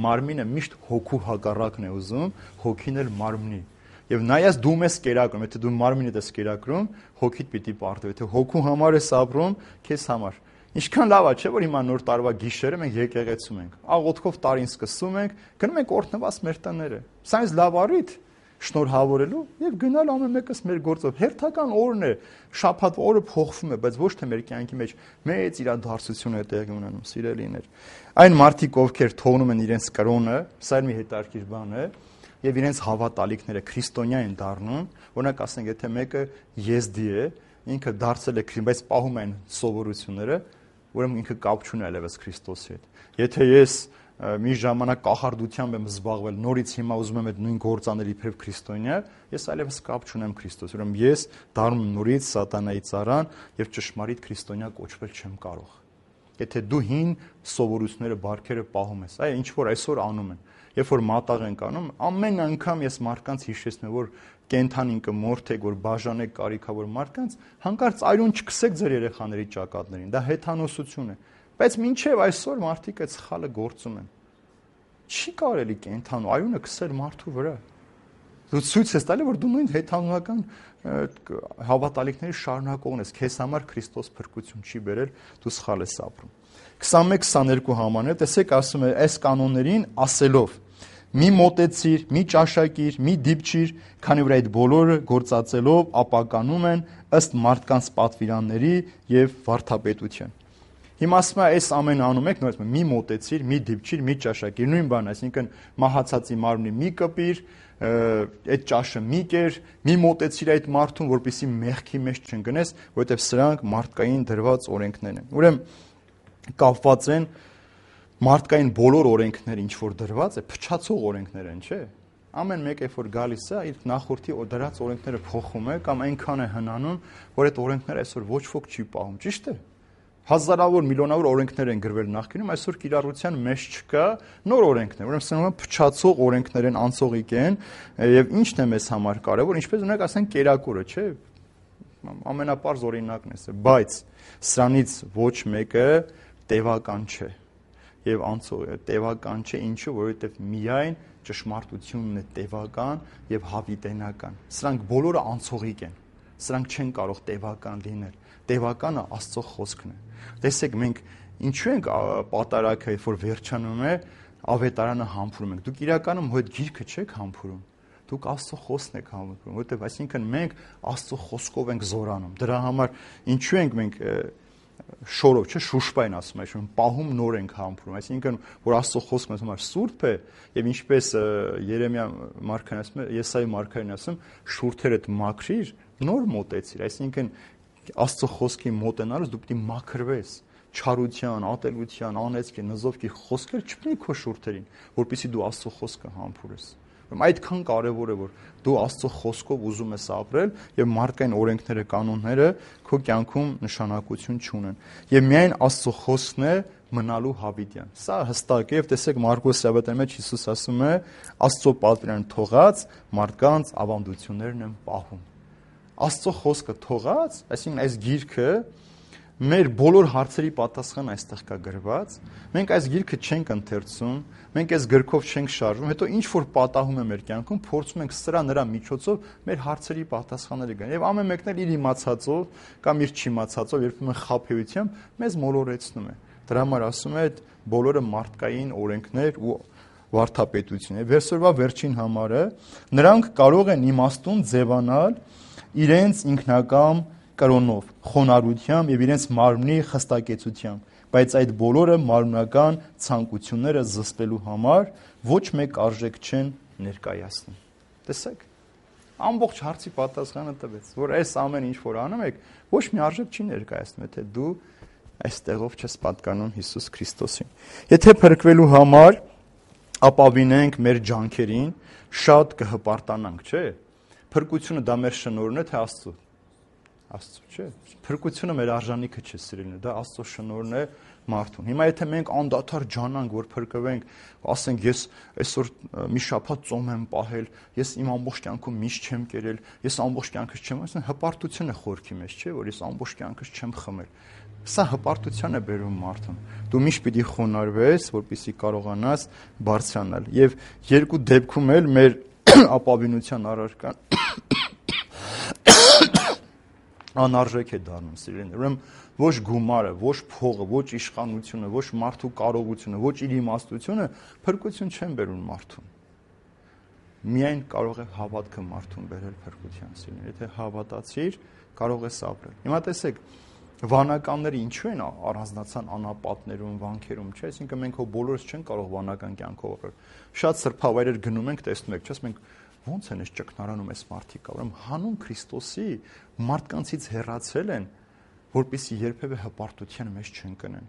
S1: մարմինը միշտ հոգու հակառակն է ուզում, հոգին էլ մարմնի։ Եվ նայած դու ես կերակրում, եթե դու մարմինդ ես կերակրում, հոգիդ պիտի պարտվի, եթե հոգու համար ես ապրում, քեզ համար։ Ինչքան լավ է, չէ՞ որ հիմա նոր տարվա գիշերը մենք եկեղեցում ենք։ Աղոթքով տարին սկսում ենք, գնում ենք օրհնված մեր տները։ Սա ինձ լավ առիթ շնորհավորելու եւ գնալ ամեն մեկս մեր գործով։ Հերթական օրն է, շաբաթ օրը փոխվում է, բայց ոչ թե մեր կյանքի մեջ մեծ իրադարձություն է տեղի ունենում, սիրելիներ։ Այն մարդիկ, ովքեր թողնում են իրենց կրոնը, սա մի հետաքրքիր բան է, եւ իրենց հավատալիքները քրիստոնյա են դառնում, օրինակ ասենք, եթե մեկը եզդի է, ինքը դարձել է քրիստոն, բայց պահում են սովորությունները, ուրեմն ինքը կապ չունի այլևս Քրիստոսի հետ։ Եթե ես մի ժամանակ կախարդությամբ եմ զբաղվել, նորից հիմա ուզում եմ այդ նույն գործանել իբրև քրիստոնյա, ես այլևս կապ չունեմ Քրիստոսի։ Ուրեմն ես դառնում եմ նորից սատանայի ծառան եւ ճշմարիտ քրիստոնյա կոչվել չեմ կարող։ Եթե դու հին սովորությունները, բարքերը պահում ես, այ ինչ որ այսօր անում են, երբ որ մատաղ ենք անում, ամեն անգամ ես մարդկանց հիշեցնում եմ, որ կենթանին կմորթեք, որ բաժանեք կարիքավոր մարդկանց, հանկարծ այրուն չքսեք ձեր երեխաների ճակատներին, դա հեթանոսություն է։ Բայց մինչև այսօր մարդիկ այդ սխալը գործում են։ Չի կարելի կենթանու այրունը քսել մարդու վրա։ Դու ցույց ես տալի, որ դու նույն հեթանոական հավատալիքների շարունակողն ես, քեզ համար Քրիստոս փրկություն չի բերել, դու սխալ ես ապրում։ 21-22 համարը, տեսեք, ասում է, այս կանոններին ասելով. մի մոտեցիր, մի ճաշակիր, մի դիպչիր, քանի որ այդ բոլորը գործածելով ապականում են ըստ մարդկանց պատվիրանների եւ վարդապետության։ Հիմա ասում է, այս ամեն անում եք, նորից մի մոտեցիր, մի դիպչիր, մի ճաշակիր, նույն բանն, այսինքն մահացածի մարմնի մի կպիր, այդ ճաշը մի կեր, մի մոտեցիր այդ մարդուն, որպեսզի մեղքի մեջ չընկնես, որովհետեւ սրանք մարդկային դրված օրենքներ են։ Ուրեմն կապված են մարդկային բոլոր օրենքները, ինչ որ դրված է, փչացող օրենքներ են, չէ՞։ Ամեն մեկ երբ որ գալիս է, իր նախորդի դրած օրենքները փոխում է կամ այնքան է հնանում, որ այդ օրենքները այսօր ոչ ոք չի պահում, ճիշտ է։ Հազարավոր, միլիոնավոր օրենքներ են գրվել նախկինում, այսօր կիրառության մեջ չկա, նոր օրենքներ, ուրեմն սրանք փչացող օրենքներ են, անցողիկ են, եւ ինչն է մեզ համար կարեւոր, ինչպես ունենք ասենք կերակուրը, չէ՞։ Ամենապարզ օրինակն է, բայց սրանից ոչ մեկը տևական չէ։ եւ տևական չէ, ինչու, որովհետեւ միայն ճշմարտությունն է տևական եւ հավիտենական։ Սրանք բոլորը անցողիկ են։ Սրանք չեն կարող տևական լինել։ Տևականը Աստծո խոսքն է։ Տեսեք, մենք ինչու ենք պատարագը, որ վերջանում է, ավետարանը համբուրում ենք։ Դուք իրականում հոդ գիրքը չեք համբուրում։ Դուք Աստծո խոսքն եք համբուրում, որովհետեւ այսինքն մենք Աստծո խոսքով ենք զորանում։ Դրա համար ինչու ենք մենք շորով, չէ, շուշպային ասում եմ, պահում նոր ենք համբուրում, այսինքն որ Աստծո խոսքը մեզ համար սուրբ է եւ ինչպես Երեմիա մարգարեն ասում է, Եսայի մարգարեն ասում, շուրթերդ մաքրիր, նոր մոտեցիր, այսինքն Աստծո խոսքի մոտենալուց դու պիտի մաքրվես, չարության, ատելության, անեծքի, նզովքի խոսքեր չպետք է քո շուրթերին, որպեսզի դու Աստծո խոսքը համբուրես։ Այդքան կարևոր է, որ դու Աստծո խոսքով ուզում ես ապրել եւ մարդկային օրենքները, կանոնները քո կյանքում նշանակություն չունեն։ Եվ միայն Աստծո խոսքն է մնալու հավիտյան։ Սա հստակ է, եւ տեսեք Մարկոս ավետարանի մեջ Հիսուս ասում է. Աստծո պատվիրանն թողած մարդկանց ավանդություններն են պահում։ Աստծո խոսքը թողած, այսինքն այս գիրքը մեր բոլոր հարցերի պատասխանը այստեղ կա գրված։ Մենք այս գիրքը չենք ընթերցում, մենք այս գրքով չենք շարժվում, հետո ինչ որ պատահում է մեր կյանքում, փորձում ենք սրա նրա միջոցով մեր հարցերի պատասխանները գնել։ Եվ ամեն մեկն էլ իր իմացածով կամ իր չիմացածով, երբեմն խաբեությամբ մեզ մոլորեցնում է։ Դրա համար ասում է, այդ բոլորը մարդկային օրենքներ ու վարդապետություն է։ Վերսորվա վերջին համարը, նրանք կարող են իմաստուն ձևանալ իրենց ինքնակամ կրոնով, խոնարհությամբ եւ իրենց մարմնի խստակեցությամբ, բայց այդ բոլորը մարմնական ցանկությունները զսպելու համար ոչ մեկ արժեք չեն ներկայացնում։ Տեսեք, ամբողջ հարցի պատասխանը տվեց, որ այս ամեն ինչ որ անում եք, ոչ մի արժեք չի ներկայացնում, եթե դու այստեղով չես պատկանում Հիսուս Քրիստոսին։ Եթե փրկվելու համար ապավինենք մեր ջանքերին, շատ կհպարտանանք, չէ՞։ Փրկությունը դա մեր շնորհն է, թե Աստծո։ Աստծո, չէ՞։ Փրկությունը մեր արժանիքը չէ, սիրելիներ, դա Աստծո շնորհն է մարդուն։ Հիմա եթե մենք անդադար ջանանք, որ փրկվենք, ասենք ես այսօր մի շաբաթ ծոմ եմ պահել, ես իմ ամբողջ կյանքում միշտ չեմ կերել, ես ամբողջ կյանքս չեմ, ասեն հպարտություն է խորքի մեջ, չէ՞, որ ես ամբողջ կյանքս չեմ խմել։ Սա հպարտության է բերում մարդուն։ Դու միշտ պիտի խոնարհվես, որպեսզի կարողանաս բարձրանալ։ Եվ երկու դեպքում էլ մեր ապավինության առարկան անարժեք է դառնում, սիրելիներ։ Ուրեմն ոչ գումարը, ոչ փողը, ոչ իշխանությունը, ոչ մարդու կարողությունը, ոչ իր իմաստությունը փրկություն չեն բերում մարդուն։ Միայն կարող է հավատքը մարդուն բերել փրկության, սիրելիներ։ Եթե հավատացիր, կարող ես ապրել։ Հիմա տեսեք, վանականները ինչու են առանձնացան անապատներում, վանքերում, չէ՞, այսինքն մենք հո բոլորս չենք կարող վանական կյանքով ապրել։ Շատ սրբավայրեր գնում ենք, տեսնում եք, չէ՞, մենք ո՞նց են այս ճգնարանում այս մարդիկ, ուրեմն հանուն Քրիստոսի մարդկանցից հեռացել են, որպեսզի երբևէ հպարտության մեջ չընկնեն։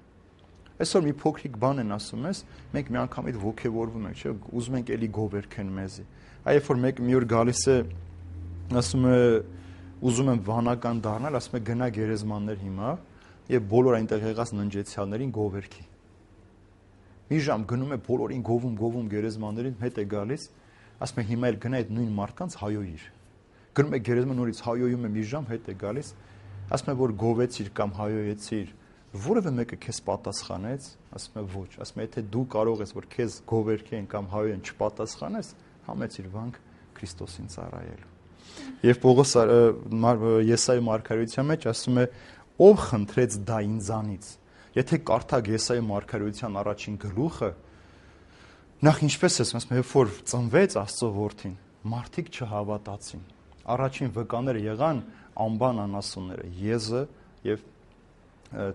S1: Այսօր մի փոքրիկ բան են ասում ես, մենք մի անգամից ոգևորվում ենք, չէ՞, ուզում ենք էլի գովերքեն մեզի։ Այ երբ որ մեկը մի օր գալիս է, ասում է ուզում եմ վանական դառնալ, ասում է գնա գերեզմաններ հիմա եւ բոլոր այնտեղ եղած ննջեցյալներին գովերքի։ Մի ժամ գնում է բոլորին գովում գերեզմաններին, հետ է գալիս, ասում է հիմա էլ գնա այդ նույն մարդկանց հայոյիր։ Գնում է գերեզման նորից հայոյում է մի ժամ, հետ է գալիս, ասում է որ գովեցիր կամ հայոյեցիր, որևէ մեկը քեզ պատասխանեց, ասում է ոչ, ասում է եթե դու կարող ես որ քեզ գովերքեն կամ հայոյեն չպատասխանես, համեցիր վանք Քրիստոսին ծառայելու։ Եվ Պողոս Եսայի մարգարեության մեջ ասում է ով խնդրեց դա ինձանից։ Եթե կարդակ Եսայի մարգարեության առաջին գլուխը, նախ ինչպես է ասում, երբ որ ծնվեց Աստծո որդին, մարդիկ չհավատացին։ Առաջին վկաները եղան անբան անասունները, Եզը եւ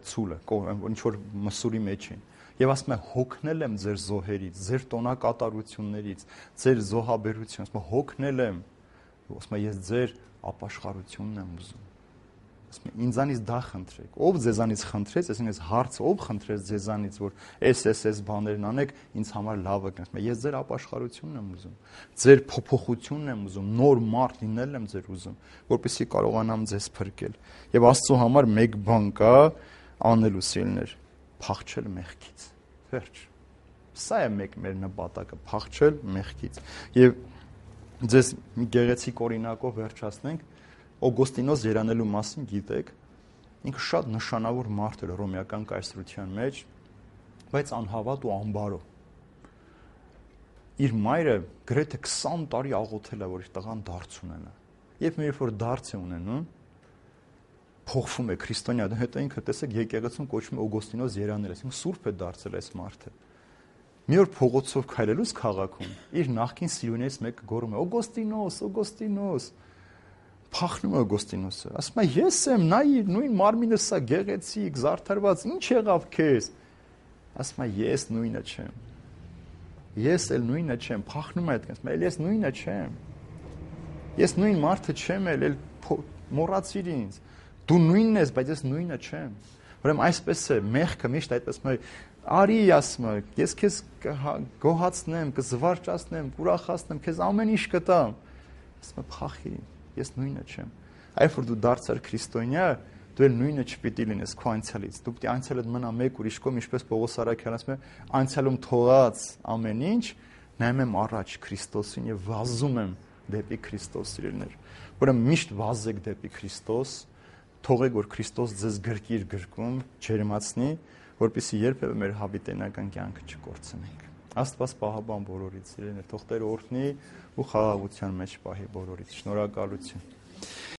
S1: Ցուլը, ինչ որ մսուրի մեջ են։ Եվ ասում է հոգնել եմ ձեր զոհերից, ձեր տոնակատարություններից, ձեր զոհաբերությունից, ասում է հոգնել եմ, ասում է ես ձեր ապաշխարությունն եմ ուզում։ Ասում է ինձանից դա խնդրեք։ Ով ձեզանից խնդրեց, այսինքն այս հարցը ով խնդրեց ձեզանից, որ այս բաներն անեք, ինձ համար լավը կնես։ Ասում է ես ձեր ապաշխարությունն եմ ուզում, ձեր փոփոխությունն եմ ուզում, նոր մարդ լինել եմ ձեր ուզում, որպեսզի կարողանամ ձեզ փրկել։ Եվ Աստծո համար մեկ բան կա անելու, սիրելիներ, փախչել մեղքից։ Վերջ։ Սա է մեր նպատակը, փախչել մեղքից։ Եվ ձեզ մի գեղեցիկ օրինակով վերջացնենք, Օգոստինոս երանելու մասին գիտեք, ինքը շատ նշանավոր մարդ էր հռոմեական կայսրության մեջ, բայց անհավատ ու անբարո։ Իր մայրը գրեթե 20 տարի աղոթել է, որ իր տղան դարձ ունենա։ Երբ մի որ դարձ է ունենում, փոխվում է քրիստոնյա, հետո ինքը տեսեք եկեղեցում կոչվում է Օգոստինոս Երանելես, ինքը սուրբ է դարձել այս մարդը։ Մի օր փողոցով քայլելուց քաղաքում իր նախկին սիրունից մեկը գոռում է Օգոստինոս, Օգոստինոս։ Փախնում է Օգոստինոսը, ասում է ես եմ, նայիր, նույն մարմինս է գեղեցիկ, զարդարված, ինչ եղավ քեզ։ Ասում է ես նույնը չեմ։ Ես էլ նույնը չեմ, փախնում է այդպես, ասում է ես նույնը չեմ։ Ես նույն մարդը չեմ էլ մոռացիր ինձ։ Դու նույնն ես, բայց ես նույնը չեմ։ Ուրեմն այսպես է, մեղքը միշտ այդպես է, արի ասում է, ես քեզ գոհացնեմ, կզվարճացնեմ, կուրախացնեմ, քեզ ամեն ինչ կտամ։ Ասում է փախիր, ես նույնը չեմ։ Այլ որ դու դարձար քրիստոնյա, դու էլ նույնը չպիտի լինես քո անցյալից։ Դու պիտի անցյալդ մնա մեկ ուրիշ կողմ, ինչպես Պողոս Արաքյանը ասում է, անցյալում թողած ամեն ինչ նայում եմ առաջ Քրիստոսին եւ վազում եմ դեպի Քրիստոս, սիրելիներ։ Ուրեմն միշտ վազեք դեպի Քրիստոս, թողեք որ Քրիստոս ձեզ գրկի իր գրկում, ջերմացնի, որպեսզի երբևէ մեր հավիտենական կյանքը չկորցնենք։ Աստված պահապան բոլորից, սիրելիներ, թող Տերը օրհնի ու խաղաղության մեջ պահի բոլորից։ Շնորհակալություն։